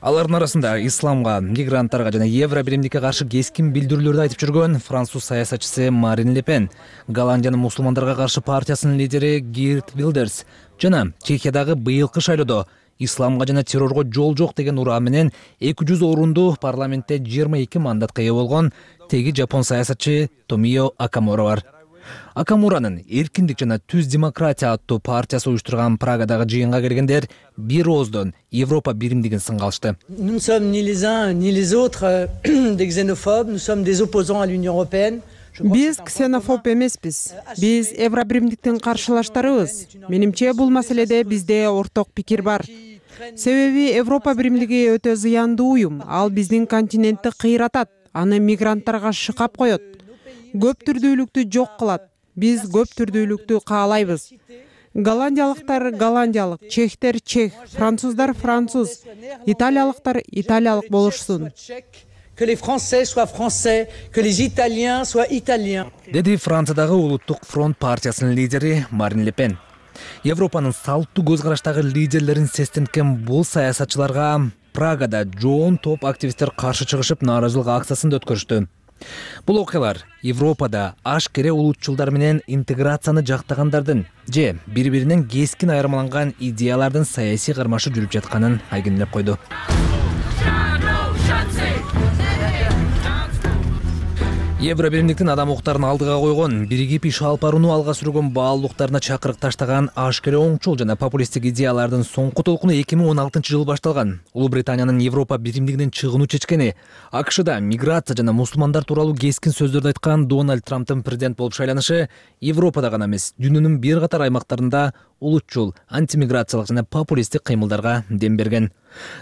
Алардын арасында исламга, мигранттарга жана евро биримдикке каршы кескин билдирүүлөрдү айтып жүргөн француз саясатчысы Марин Ле Пен, Голландиянын мусулмандарга каршы партиясынын лидери Гирт Вилдерс жана Чехиядагы быйылкы шайлоодо исламга жана террорго жол жок деген ураа менен 200 орунду парламентте 22 мандатка ээ болгон теги жапон саясатчы Томио Акамура бар. Акамуранын эркиндик жана түз демократия аттуу партиясы уюштурган Прагадагы жыйынга келгендер бир ооздон Европа биримдигин сынга алышты. Nous ne sommes ni les uns ni les autres des xénophobes, nous sommes des opposants à l'Union européenne. Биз ксенофоб эмеспиз. Биз Евро биримдиктин каршылаштарыбыз. Менимче бул маселеде бизде орток пикир бар. Себеби Европа биримдиги өтө зыяндуу уюм. Ал биздин континентти кыйратат, аны мигранттарга шыкап коет. Көп түрдүүлүктү жок кылат. Биз көп түрдүүлүктү каалайбыз. Голландиялыктар голландиялык, чехтер чех, француздар француз, италиялыктар италиялык болушсун. Que les Français soient français, que les Italiens soient italiens. Деди Франциядагы улуттук фронт партиясынын лидери Марин Ле Пен. Европанын салттуу көз караштагы лидерлерин сестенткен бул саясатчыларга Прагада жоон топ активисттер каршы чыгышып нааразылык акциясын өткөрүштү. Бул окуялар Европада ашкере улутчулдар менен интеграцияны жактагандардын же бири-биринен кескин айырмаланган идеялардын саясий кармашы жүрүп жатканын айгинелеп койду. Евро биримдиктин адам укуктарын алдыга койгон, биригип иш алып барууну алга сүргөн баалуулуктарына чакырык таштаган ашкере оңчул жана популисттик идеялардын соңку толкуну 2016-жылы башталган. Улуу Британиянын Европа биримдигинен чыгууну чечкени, АКШда миграция жана мусулмандар тууралуу кескин сөздөрдү айткан Дональд Трамптын президент болуп шайланышы Европада гана эмес, дүйнөнүн бир катар аймактарында улутчул, антимиграциялык жана популисттик кыймылдарга дем берген.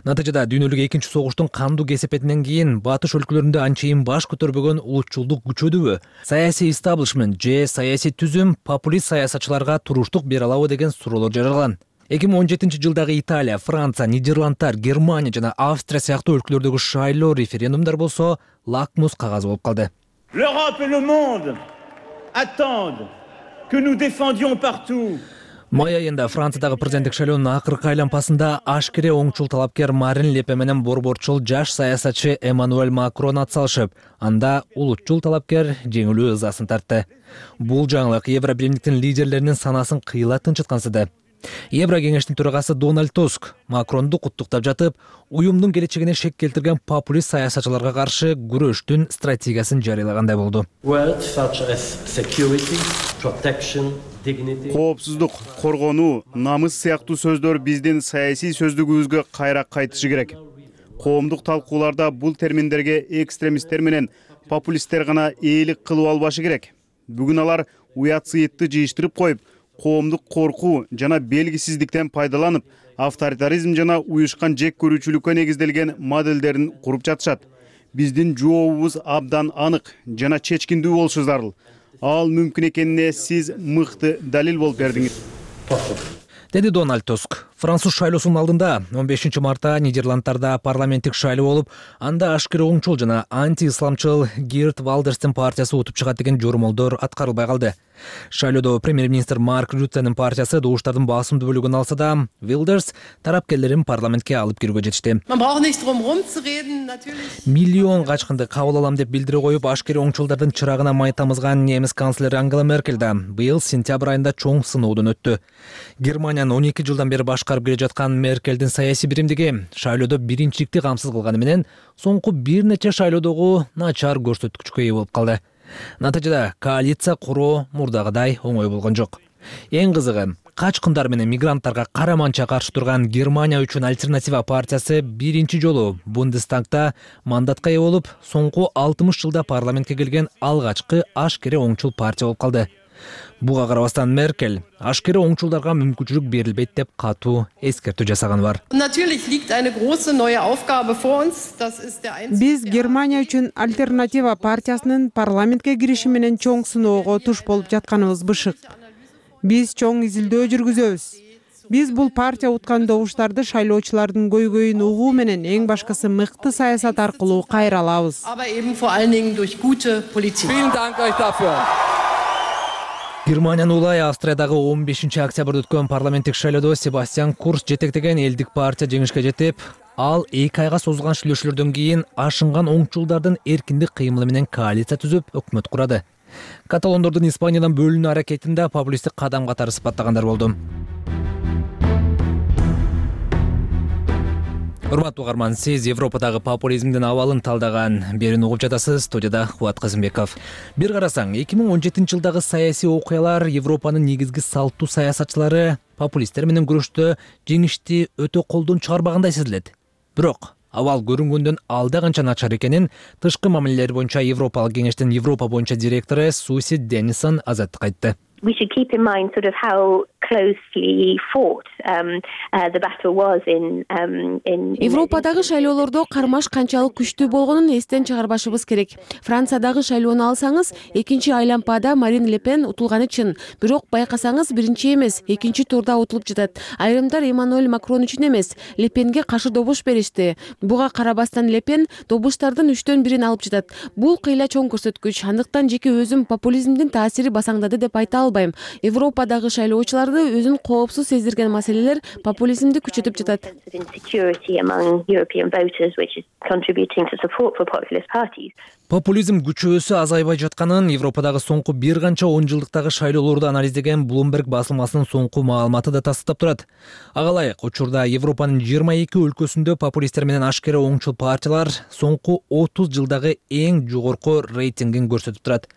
Натыйжада дүйнөлүк экинчи согуштун кандуу кесепетинен кийин батыш өлкөлөрүндө анчейин баш көтөрбөгөн улутчулдук күчөдүбү, саясий истаблишмент же саясий түзүм популист саясатчыларга туруштук бере алабы деген суроолор жаралган. 2017-жылдагы Италия, Франция, Нидерландтар, Германия жана Австрия сыяктуу өлкөлөрдөгү шайлоо референдумдар болсо лакмус кагазы болуп калды. L'Europe et le monde attendent que nous défendions partout. Май айында Франциядагы президенттик шайлоонун акыркы айлампасында ашкере оңчул талапкер Марин Ле Пен менен борборчул жаш саясатчы Эммануэль Макрон атсалышып, анда улутчул талапкер жеңилүү ызасын тартты. Бул жаңылык Евробиримдиктин лидерлеринин санасын кыйла тынчыткансыды. Евро кеңештин төрагасы Дональд Туск Макронду куттуктап жатып, уюмдун келечегине шек келтирген популист саясатчыларга каршы күрөштүн стратегиясын жарыялагандай болду. Коопсуздук, коргонуу, намыс сыяктуу сөздөр биздин саясий сөздүгүбүзгө кайра кайтышы керек. Коомдук талкууларда бул терминдерге экстремисттер менен популисттер гана ээлик кылып албашы керек. Бүгүн алар уят сыйытты жыйыштырып коюп, коомдук коркуу жана белгисиздиктен пайдаланып, авторитаризм жана уюшкан жек көрүүчүлүккө негизделген моделдерин куруп жатышат. Биздин жообубуз абдан анык жана чечкиндүү болушу зарыл. Ал мүмкүн экенине сиз мыкты далил болуп бердиңиз. Деди Дональд Туск. Француз шайлоосунун алдында 15 мартта Нидерландтарда парламенттик шайлоо болуп, анда ашкере оңчул жана анти-исламчыл Герт Валдерстин партиясы утуп чыгат деген жормолдор аткарылбай калды. Шайлоодо премьер-министр Марк Рюттенин партиясы добуштардын басымдуу бөлүгүн алса да, Вилдерс тарапкерлерин парламентке алып кирүүгө жетишти. Миллион качкынды кабыл алам деп билдире коюп, ашкере оңчулдардын чырагына май тамызган немис канцлери Ангела Меркель да быйыл сентябрь айында чоң сыноодон өттү. Германиянын 12 жылдан бери башкарып келе жаткан Меркелдин саясий биримдиги шайлоодо биринчиликти камсыз кылганы менен соңку бир нече шайлоодогу начар көрсөткүчкө ээ болуп калды. Натыйжада коалиция куруу мурдагыдай оңой болгон жок. Эң кызыгы, качкындар менен мигранттарга караманча каршы турган Германия үчүн альтернатива партиясы биринчи жолу Бундестагда мандатка ээ болуп, соңку 60 жылда парламентке келген алгачкы ашкере оңчул партия болуп калды. Буга карабастан Меркель ашкере оңчулдарга мүмкүнчүлүк берилбейт деп катуу эскертүү жасаганы бар. Биз Германия үчүн альтернатива партиясынын парламентке кириши менен чоң сыноого туш болуп жатканыбыз бышык. Биз чоң изилдөө жүргүзөбүз. Биз бул партия уткан добуштарды шайлоочулардын көйгөйүн угуу менен эң башкысы мыкты саясат аркылуу кайра алабыз. Германиянын улай Австриядагы 15 октябрда өткөн парламенттик шайлоодо Себастьян Курц жетектеген элдик партия жеңишке жетип, ал 2 айга созулган шүйлөшүүлөрдөн кийин ашынган оңчулдардын эркиндик кыймылы менен коалиция түзүп өкмөт курады. Каталондордун Испаниядан бөлүнүү аракетин да популисттик кадам катары сыпаттагандар болду. Урматтуу угарман, сиз Европадагы популизмдин абалын талдаган берүүнү угуп жатасыз. Студияда Кубат Кызымбеков. Бир карасаң, 2017 жылдагы саясий окуялар Европанын негизги салттуу саясатчылары популисттер менен күрөштө жеңишти өтө колдон чыгарбагандай сезилет. Бирок абал көрүнгөндөн алда канча начар экенин тышкы мамилелер боюнча Европалык кеңештин Европа боюнча директору Суси Деннисон азаттыкка айтты. We should keep in mind sort of how closely fought the battle was in Европадагы шайлоолордо кармаш канчалык күчтүү болгонун эстен чыгарбашыбыз керек. Франциядагы шайлоону алсаңыз, экинчи айлампада Марин Ле Пен утулганы чын. Бирок байкасаңыз, биринчи эмес, экинчи турда утулуп жатат. Айрымдар Эммануэль Макрон үчүн эмес, Ле Пенге каршы добуш беришти. Буга карабастан Ле Пен добуштардын 3төн 1-ин алып жатат. Бул кыйла чоң көрсөткүч. Андыктан жеке өзүм популизмдин таасири басаңдады деп айта албайм. Европадагы шайлоочуларды өзүн коопсуз сездирген маселелер популизмди күчөтүп жатат. Популизм күчөөсү азайбай жатканын Европадагы соңку бир канча 10 жылдыктагы шайлоолорду анализдеген Bloomberg басылмасынын соңку маалыматы да тастыктап турат. Ага ылайык, учурда Европанын 22 өлкөсүндө популисттер менен ашкере оңчул партиялар соңку 30 жылдагы эң жогорку рейтингин көрсөтүп турат.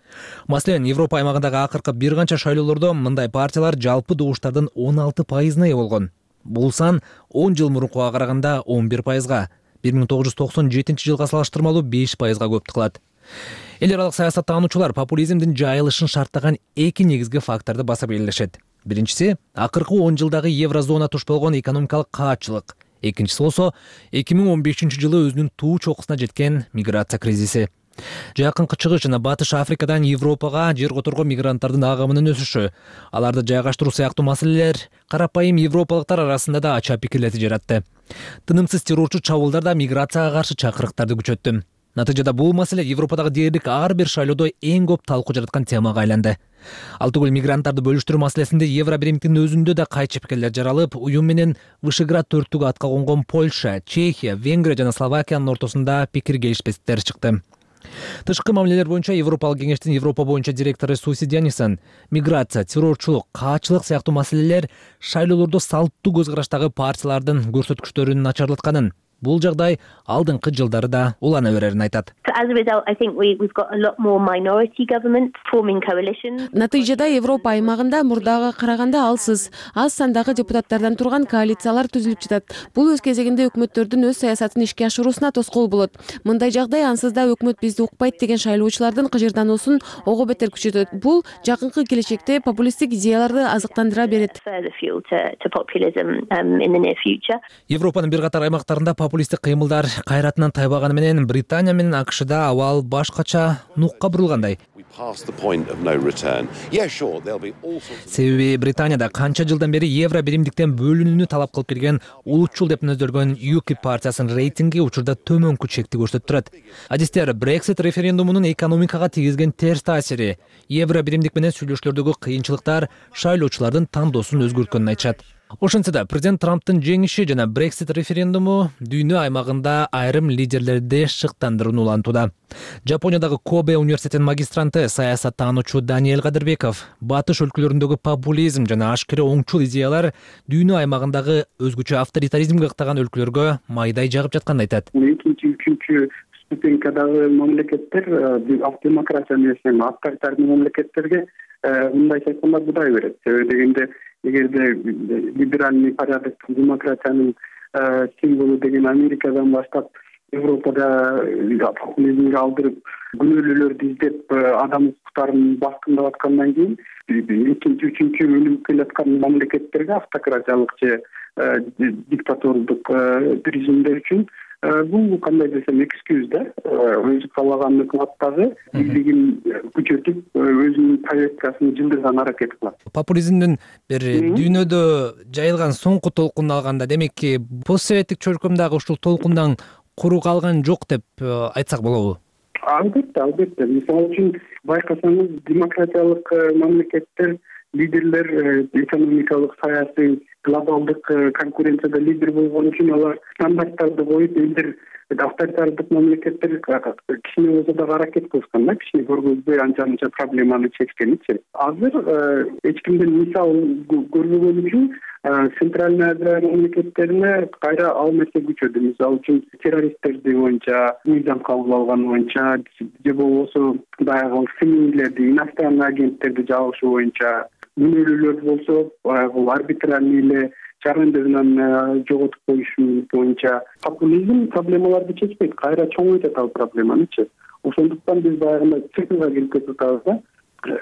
Маселен, Европа аймагындагы акыркы бир канча шайлоолордо мындай партиялар жалпы добуштардын 16%-на ээ болгон. Бул сан 10 жыл мурункуга караганда 11%га, 1997 жылга салыштырмалуу 5%га көп кылат. Эл аралык саясаттануучулар популизмдин жайылышын шарттаган эки негизги факторду басып келишет. Биринчиси акыркы 10 жылдагы еврозона туш болгон экономикалык каатчылык. Экинчиси болсо 2015 жылы өзүнүн туу чокусуна жеткен миграция кризиси. Жакынкы чыгыш жана Батыш Африкадан Европага жер которго мигранттардын агымынын өсүшү, аларды жайгаштыруу сыяктуу маселелер карапайым европалыктар арасында да ача пикирлерди жаратты. Тынымсыз террорчу чабуулдар да миграцияга каршы чакырыктарды күчөттү. Натыйжада бул маселе Европадагы дээрлик ар бир шайлоодо эң көп талкуу жараткан темага айланды. Ал түгүл мигранттарды бөлүштүрүү маселесинде Евро биримдиктин өзүндө да кайчы пикирлер жаралып, уюм менен Вышеград төрттүгү атка конгон Польша, Чехия, Венгрия жана Словакиянын ортосунда пикир келишпестиктер чыкты. Тышкы мамилелер боюнча Европалык кеңештин Европа боюнча директору Суси Дянисен миграция, террорчулук, каачылык сыяктуу маселелер шайлоолордо салттуу көз караштагы партиялардын көрсөткүчтөрүн начарлатканын, бул жагдай алдыңкы жылдары да улана берерин айтат. Натыйжада Европа аймагында мурдага караганда аз сандагы депутаттардан турган коалициялар түзүлүп жатат. Бул өз кезегинде өкмөттөрдүн өз саясатын ишке ашыруусуна тоскоол болот. Мындай жагдай ансыз да өкмөт бизди укпайт деген шайлоочулардын кыжырдануусун ого бетер күчөтөт. Бул жакынкы келечекте популисттик идеяларды азыктандыра берет. Европанын бир катар аймактарында популисттик кыймылдар кайратынан тайбаганы менен Британия менен АКШда абал башкача нукка бурулгандай. Себеби Британияда канча жылдан бери евро биримдиктен бөлүнүүнү талап кылып келген улутчул деп нөздөлгөн UKIP партиясынын рейтинги учурда төмөнкү чекти көрсөтүп турат. Адистер Brexit референдумунун экономикага тийгизген терс таасири, евро биримдик менен сүйлөшүүлөрдөгү кыйынчылыктар шайлоочулардын тандоосун өзгөрткөнүн айтышат. Ошентсе да президент Трамптын жеңиши жана Brexit референдуму дүйнө аймагында айрым лидерлерди шыктандырууну улантууда. Жапониядагы Кобе университетинин магистранты саясаттануучу Даниэль Кадырбеков батыш өлкөлөрүндөгү популизм жана ашкере оңчул идеялар дүйнө аймагындагы өзгөчө авторитаризмге ыктаган өлкөлөргө майдай жагып жатканын айтат. Экинчи, үчүнчү ступенькадагы мамлекеттер демократия менен авторитарный мамлекеттерге мындайча айтканда будай берет. Себеби дегенде эгерде либеральный порядоктун демократиянын символу деген Америкадан баштап Европада популизмге алдырып күнөөлүүлөрдү издеп адам укуктарын баскындап аткандан кийин экинчи, үчүнчү өнүгүп келаткан мамлекеттерге автократиялык же диктатордук режимдер үчүн бул кандай десем экскюз да, өзү каалаган ыклаттагы бийлигин күчөтүп өзүнүн повесткасын жылдырган аракет кылат. Популизмдин бир дүйнөдө жайылган соңку толкунун алганда, демекки постсоветтик чөлкөмдөгү ушул толкундан куру калган жок деп айтсак болобу? Албетте. Мисалы үчүн байкасаңыз демократиялык мамлекеттер лидерлер экономикалык, саясий, глобалдык конкуренцияда лидер болгон үчүн алар стандарттарды коюп, элдер авторитардык мамлекеттер кичине болсо да аракет кылышкан да, кичине көргөзбөй анча проблеманы чечкеничи. Азыр эч кимден мисал көрбөгөн үчүн Центральный Азия мамлекеттерине кайра ал нерсе күчөдү. Мисалы үчүн террористтерди боюнча, мыйзам кабыл алган боюнча же болбосо баягы семейлерди, иностранный агенттерди жабышы боюнча, күнөөлүүлөр болсо баягы арбитральный эле жарандыгынан жоготуп коюш боюнча популизм проблемаларды чечпейт, кайра чоңойтот ал проблеманычы. Ошондуктан биз баягы цифрга келип кетип атабыз да.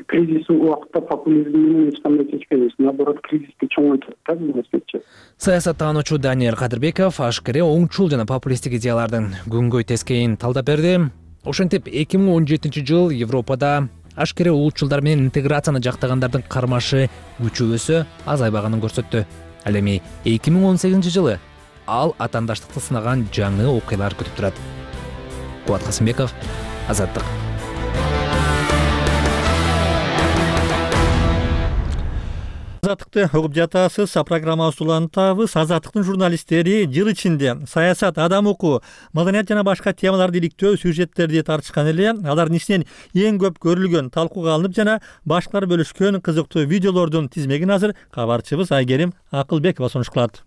Кризис убакытта популизм менен эч кандай чечпейбиз, наоборот кризисти чоңойтот да бул нерсечи. Саясаттануучу Даниэль Кадырбеков ашкере оңчул жана популисттик идеялардын күнгөй тескейин талдап берди. Ошентип 2017 жыл Европада ашкере улутчулдар менен интеграцияны жактагандардын кармашы күчөбөсө азайбаганын көрсөттү. Ал эми 2018 жылы ал атаандаштыкты сынаган жаңы окуялар күтүп турат. Кубат Касымбеков, Азаттык. Азаттыкты угуп жатасыз. Программабызды улантабыз. Азаттыктын журналисттери жыл ичинде саясат, адам укугу, маданият жана башка темаларды иликтөө сюжеттерди тартышкан эле. Алардын ичинен эң көп көрүлгөн, талкууга алынып жана башкалар бөлүшкөн кызыктуу видеолордун тизмегин азыр кабарчыбыз Айгерим Акылбекова сунуш кылат.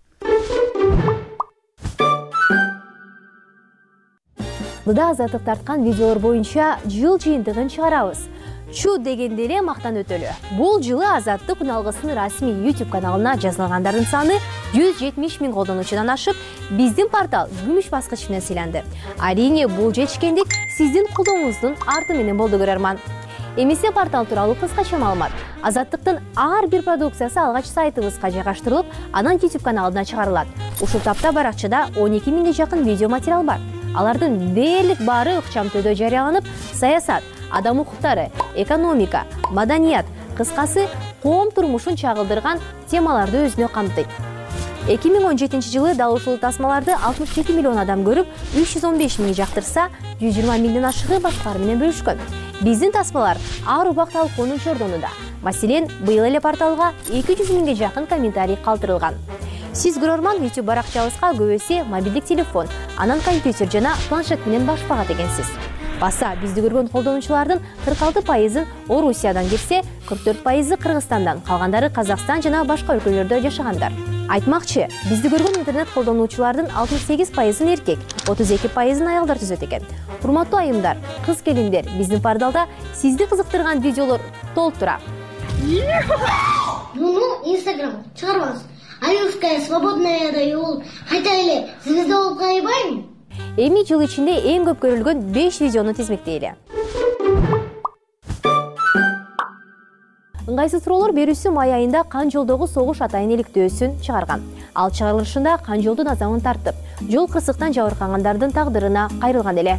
Мында азаттык тарткан видеолор боюнча жыл жыйынтыгын чыгарабыз. Чу дегенде эле мактан өтөлү. Бул жылы Азаттык үналгысынын расмий YouTube каналына жазылгандардын саны 170 000 колдонуучудан ашып, биздин портал күмүш баскыч менен сыйланды. Арийне бул жетишкендик сиздин колдооңуздун арты менен болду, көрөрман. Эмесе портал тууралуу кыскача маалымат. Азаттыктын ар бир продукциясы алгач сайтыбызга жайгаштырылып, анан YouTube каналына чыгарылат. Ушул тапта баракчада 12 000ге жакын видео материал бар. алардын дээрлик баары ыкчамтөдө жарыяланып, саясат, адам укуктары, экономика, маданият, кыскасы коом турмушун чагылдырган темаларды өзүнө камтыйт. 2017 жылы дал ушул тасмаларды 67 миллион адам көрүп, 315 миң жактырса, 120 миңден ашыгы башкалар менен бөлүшкөн. Биздин тасмалар ар убак талкуунун чордонунда. Маселен, быйыл эле порталга 200 миңге жакын комментарий калтырылган. Сиз көрөрман YouTube баракчабызга көбөсү мобилдик телефон, анан компьютер жана планшет менен башпагат экенсиз. Баса бизди көргөн колдонуучулардын 46% Орусиядан келсе, 44% Кыргызстандан, калгандары Казакстан жана башка өлкөлөрдө жашагандар. Айтмакчы, бизди көргөн интернет колдонуучулардын 68% эркек, 32% аялдар түзөт экен. Урматтуу айымдар, кыз келиндер, биздин порталда сизди кызыктырган видеолор толуп тура. Инстаграм чыгарбаңыз. Аюская свободная дайыл. Кайта эле сизде болуп кайбайбы? Эми жыл ичинде эң көп көрүлгөн 5 видеону тизмектейли. Ыңгайсыз суроолор берүүсү май айында Кан жолдогу согуш атайын иликтөөсүн чыгарган. Ал чыгарылышында Кан жолдун азабын тартып, жол кырсыктан жабыркагандардын тагдырына кайрылган эле.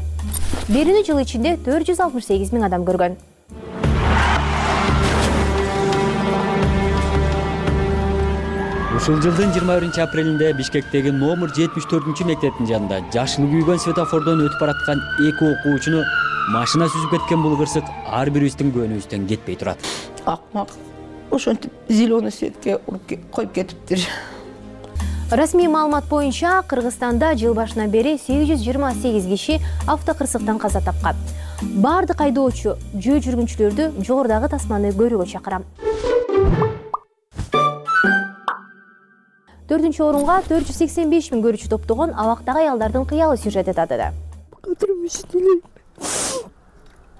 Берүүнү жыл ичинде 468 миң адам көргөн. Ушул жылдын 21 апрелинде Бишкектеги номер 74 мектептин жанында жашыны күйгөн светофордон өтүп бараткан 2 окуучуну машина сүзүп кеткен бул кырсык ар бирибиздин көңүлүбүздөн кетпей турат. Акмак. Ошентип зеленый светке коюп кетиптир. Расмий маалымат боюнча Кыргызстанда жыл башынан бери 828 киши автокырсыктан каза тапкан. Бардык айдоочу, жөө жүргүнчүлөрдү жогорудагы тасманы көрүүгө чакырам. 4-чү орунга 485 миң көрүүчү топтогон абактагы аялдардын кыялы сюжети татыды.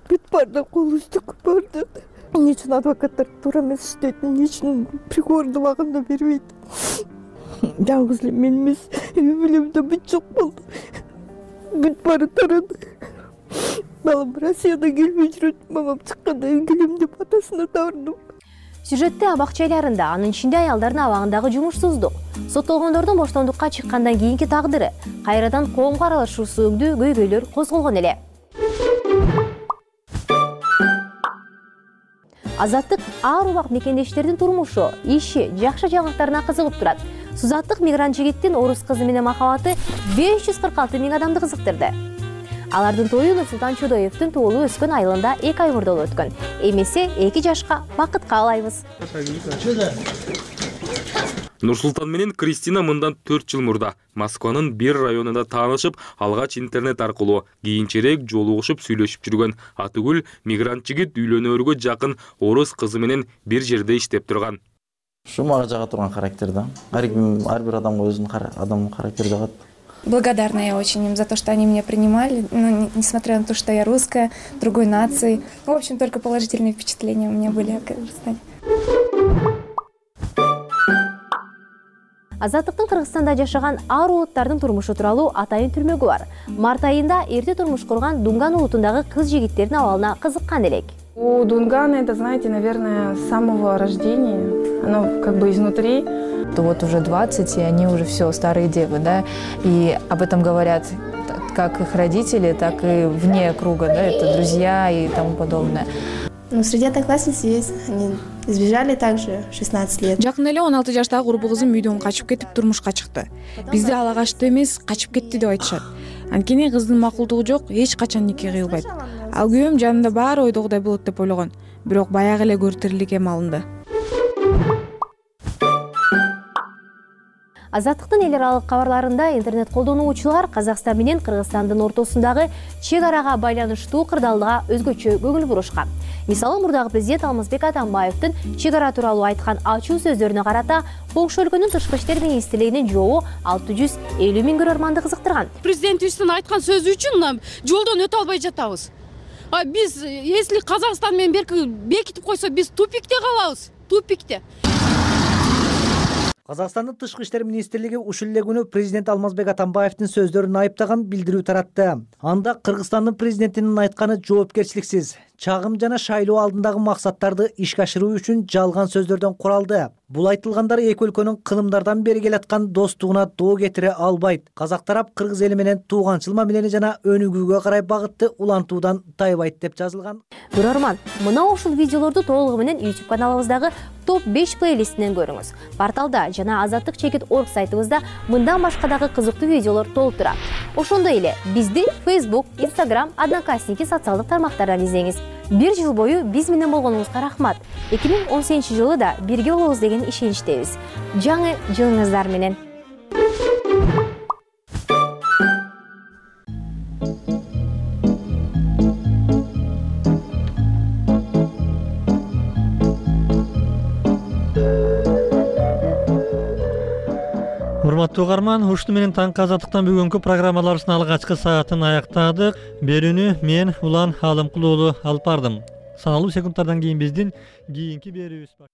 Бүт барды кол үстүк барды. Эмне үчүн адвокаттар туура эмес иштейт, эмне үчүн приговорду убагында бербейт? Жалгыз эле мен эмес, үй-бүлөмдө бүт жок болду. Бүт баары тарады. Балам Россиядан келбей жүрөт, мамам чыкканда келем деп атасына табардым. Сюжетте абак жайларында, анын ичинде аялдардын абагындагы жумушсуздук, соттолгондордун боштондукка чыккандан кийинки тагдыры, кайрадан коомго аралашуусу өңдүү көйгөйлөр козголгон эле. Азаттык ар убак мекендештердин турмушу, иши, жакшы жаңылыктарына кызыгып турат. Сузаттык мигрант жигиттин орус кызы менен махабаты 546 миң адамды кызыктырды. Алардын тою Нурсултан Чудоевдин туулуп өскөн айылында 2 ай мурда болуп өткөн. Эмесе 2 жашка бакытка каалайбыз. Нурсултан менен Кристина мындан 4 жыл мурда Москванын бир районунда таанышып, алгач интернет аркылуу, кийинчерээк жолугушуп сүйлөшүп жүргөн. Атыгүл мигрант жигит үйлөнөөргө жакын орус кызы менен бир жерде иштеп турган. Ушу мага жага турган характер да. Ар бир адамга өзүнүн адамдын характери жагат. Благодарна я очень им за то, что они меня принимали, несмотря на то, что я русская, другой нации. В общем, только положительные впечатления у меня были о Кыргызстане. Азаттыктын Кыргызстанда жашаган ар улуттардын турмушу тууралуу атайын түрмөгү бар. Март айында эрте турмуш курган Дунган улутундагы кыз жигиттердин абалына кызыккан элек. У Дунгана это, знаете, наверное, с самого рождения, оно как бы изнутри. Вот уже 20, и они уже все старые девы, да, и об этом говорят как их родители, так и вне круга, да, это друзья и тому подобное. Ну, среди одноклассниц есть, они сбежали также 16 лет. Жакын эле 16 жаштагы курбу кызым үйдөн качып кетип турмушка чыкты. Бизде ала качты эмес, качып кетти деп айтышат. Анткени кыздын макулдугу жок, эч качан нике кыйлбайт. Ал күйөөм жанында баары ойдогудай болот деп ойлогон, бирок баягы эле көрүп тирилик эме алынды. Азаттыктын эл аралык кабарларында интернет колдонуучулар Казакстан менен Кыргызстандын ортосундагы чек арага байланыштуу кырдаалга өзгөчө көңүл бурушкан. Мисалы, мурдагы президент Алмазбек Атамбаевдин чек ара тууралуу айткан ачуу сөздөрүнө карата Коңшу өлкөнүн тышкы иштер министрлигинин жообу 650 миң көрөрманды кызыктырган. Президентибиздин айткан сөзү үчүн жолдон өтө албай жатабыз. Биз, если Казакстан менен бекитип койсо, биз тупикте калабыз, тупикте. Казакстандын тышкы иштер министрлиги ушул эле күнү президент Алмазбек Атамбаевдин сөздөрүн айыптаган билдирүү таратты. Анда Кыргызстандын президентинин айтканы жоопкерчиликсиз, чагым жана шайлоо алдындагы максаттарды ишке ашыруу үчүн жалган сөздөрдөн куралды. Бул айтылгандар эки өлкөнүн кылымдардан бери келаткан достугуна доо кетире албайт. Казак тарап кыргыз эли менен тууганчыл мамилени жана өнүгүүгө карай багытты улантуудан тайбайт деп жазылган. Көрөрман, мына ушул видеолорду толугу менен YouTube каналыбыздагы топ 5 плейлистинен көрүңүз. Порталда жана azatlyk.org сайтыбызда мындан башка дагы кызыктуу видеолор толуп турат. Ошондой эле бизди Facebook, Instagram, Одноклассники социалдык тармактардан издеңиз. Бир жыл бою биз менен болгонуңузга рахмат. 2018-жылы да бирге болобуз деген ишеничтебиз. Жаңы жылыңыздар менен. Урматтуу угарман, ушуну менен таңкы азаттыктан бүгүнкү программаларыбыздын алгачкы саатын аяктадык. Берүүнү мен Улан Алымкулуу алып бардым. Саналуу секундтардан кийин биздин кийинки берүүбүз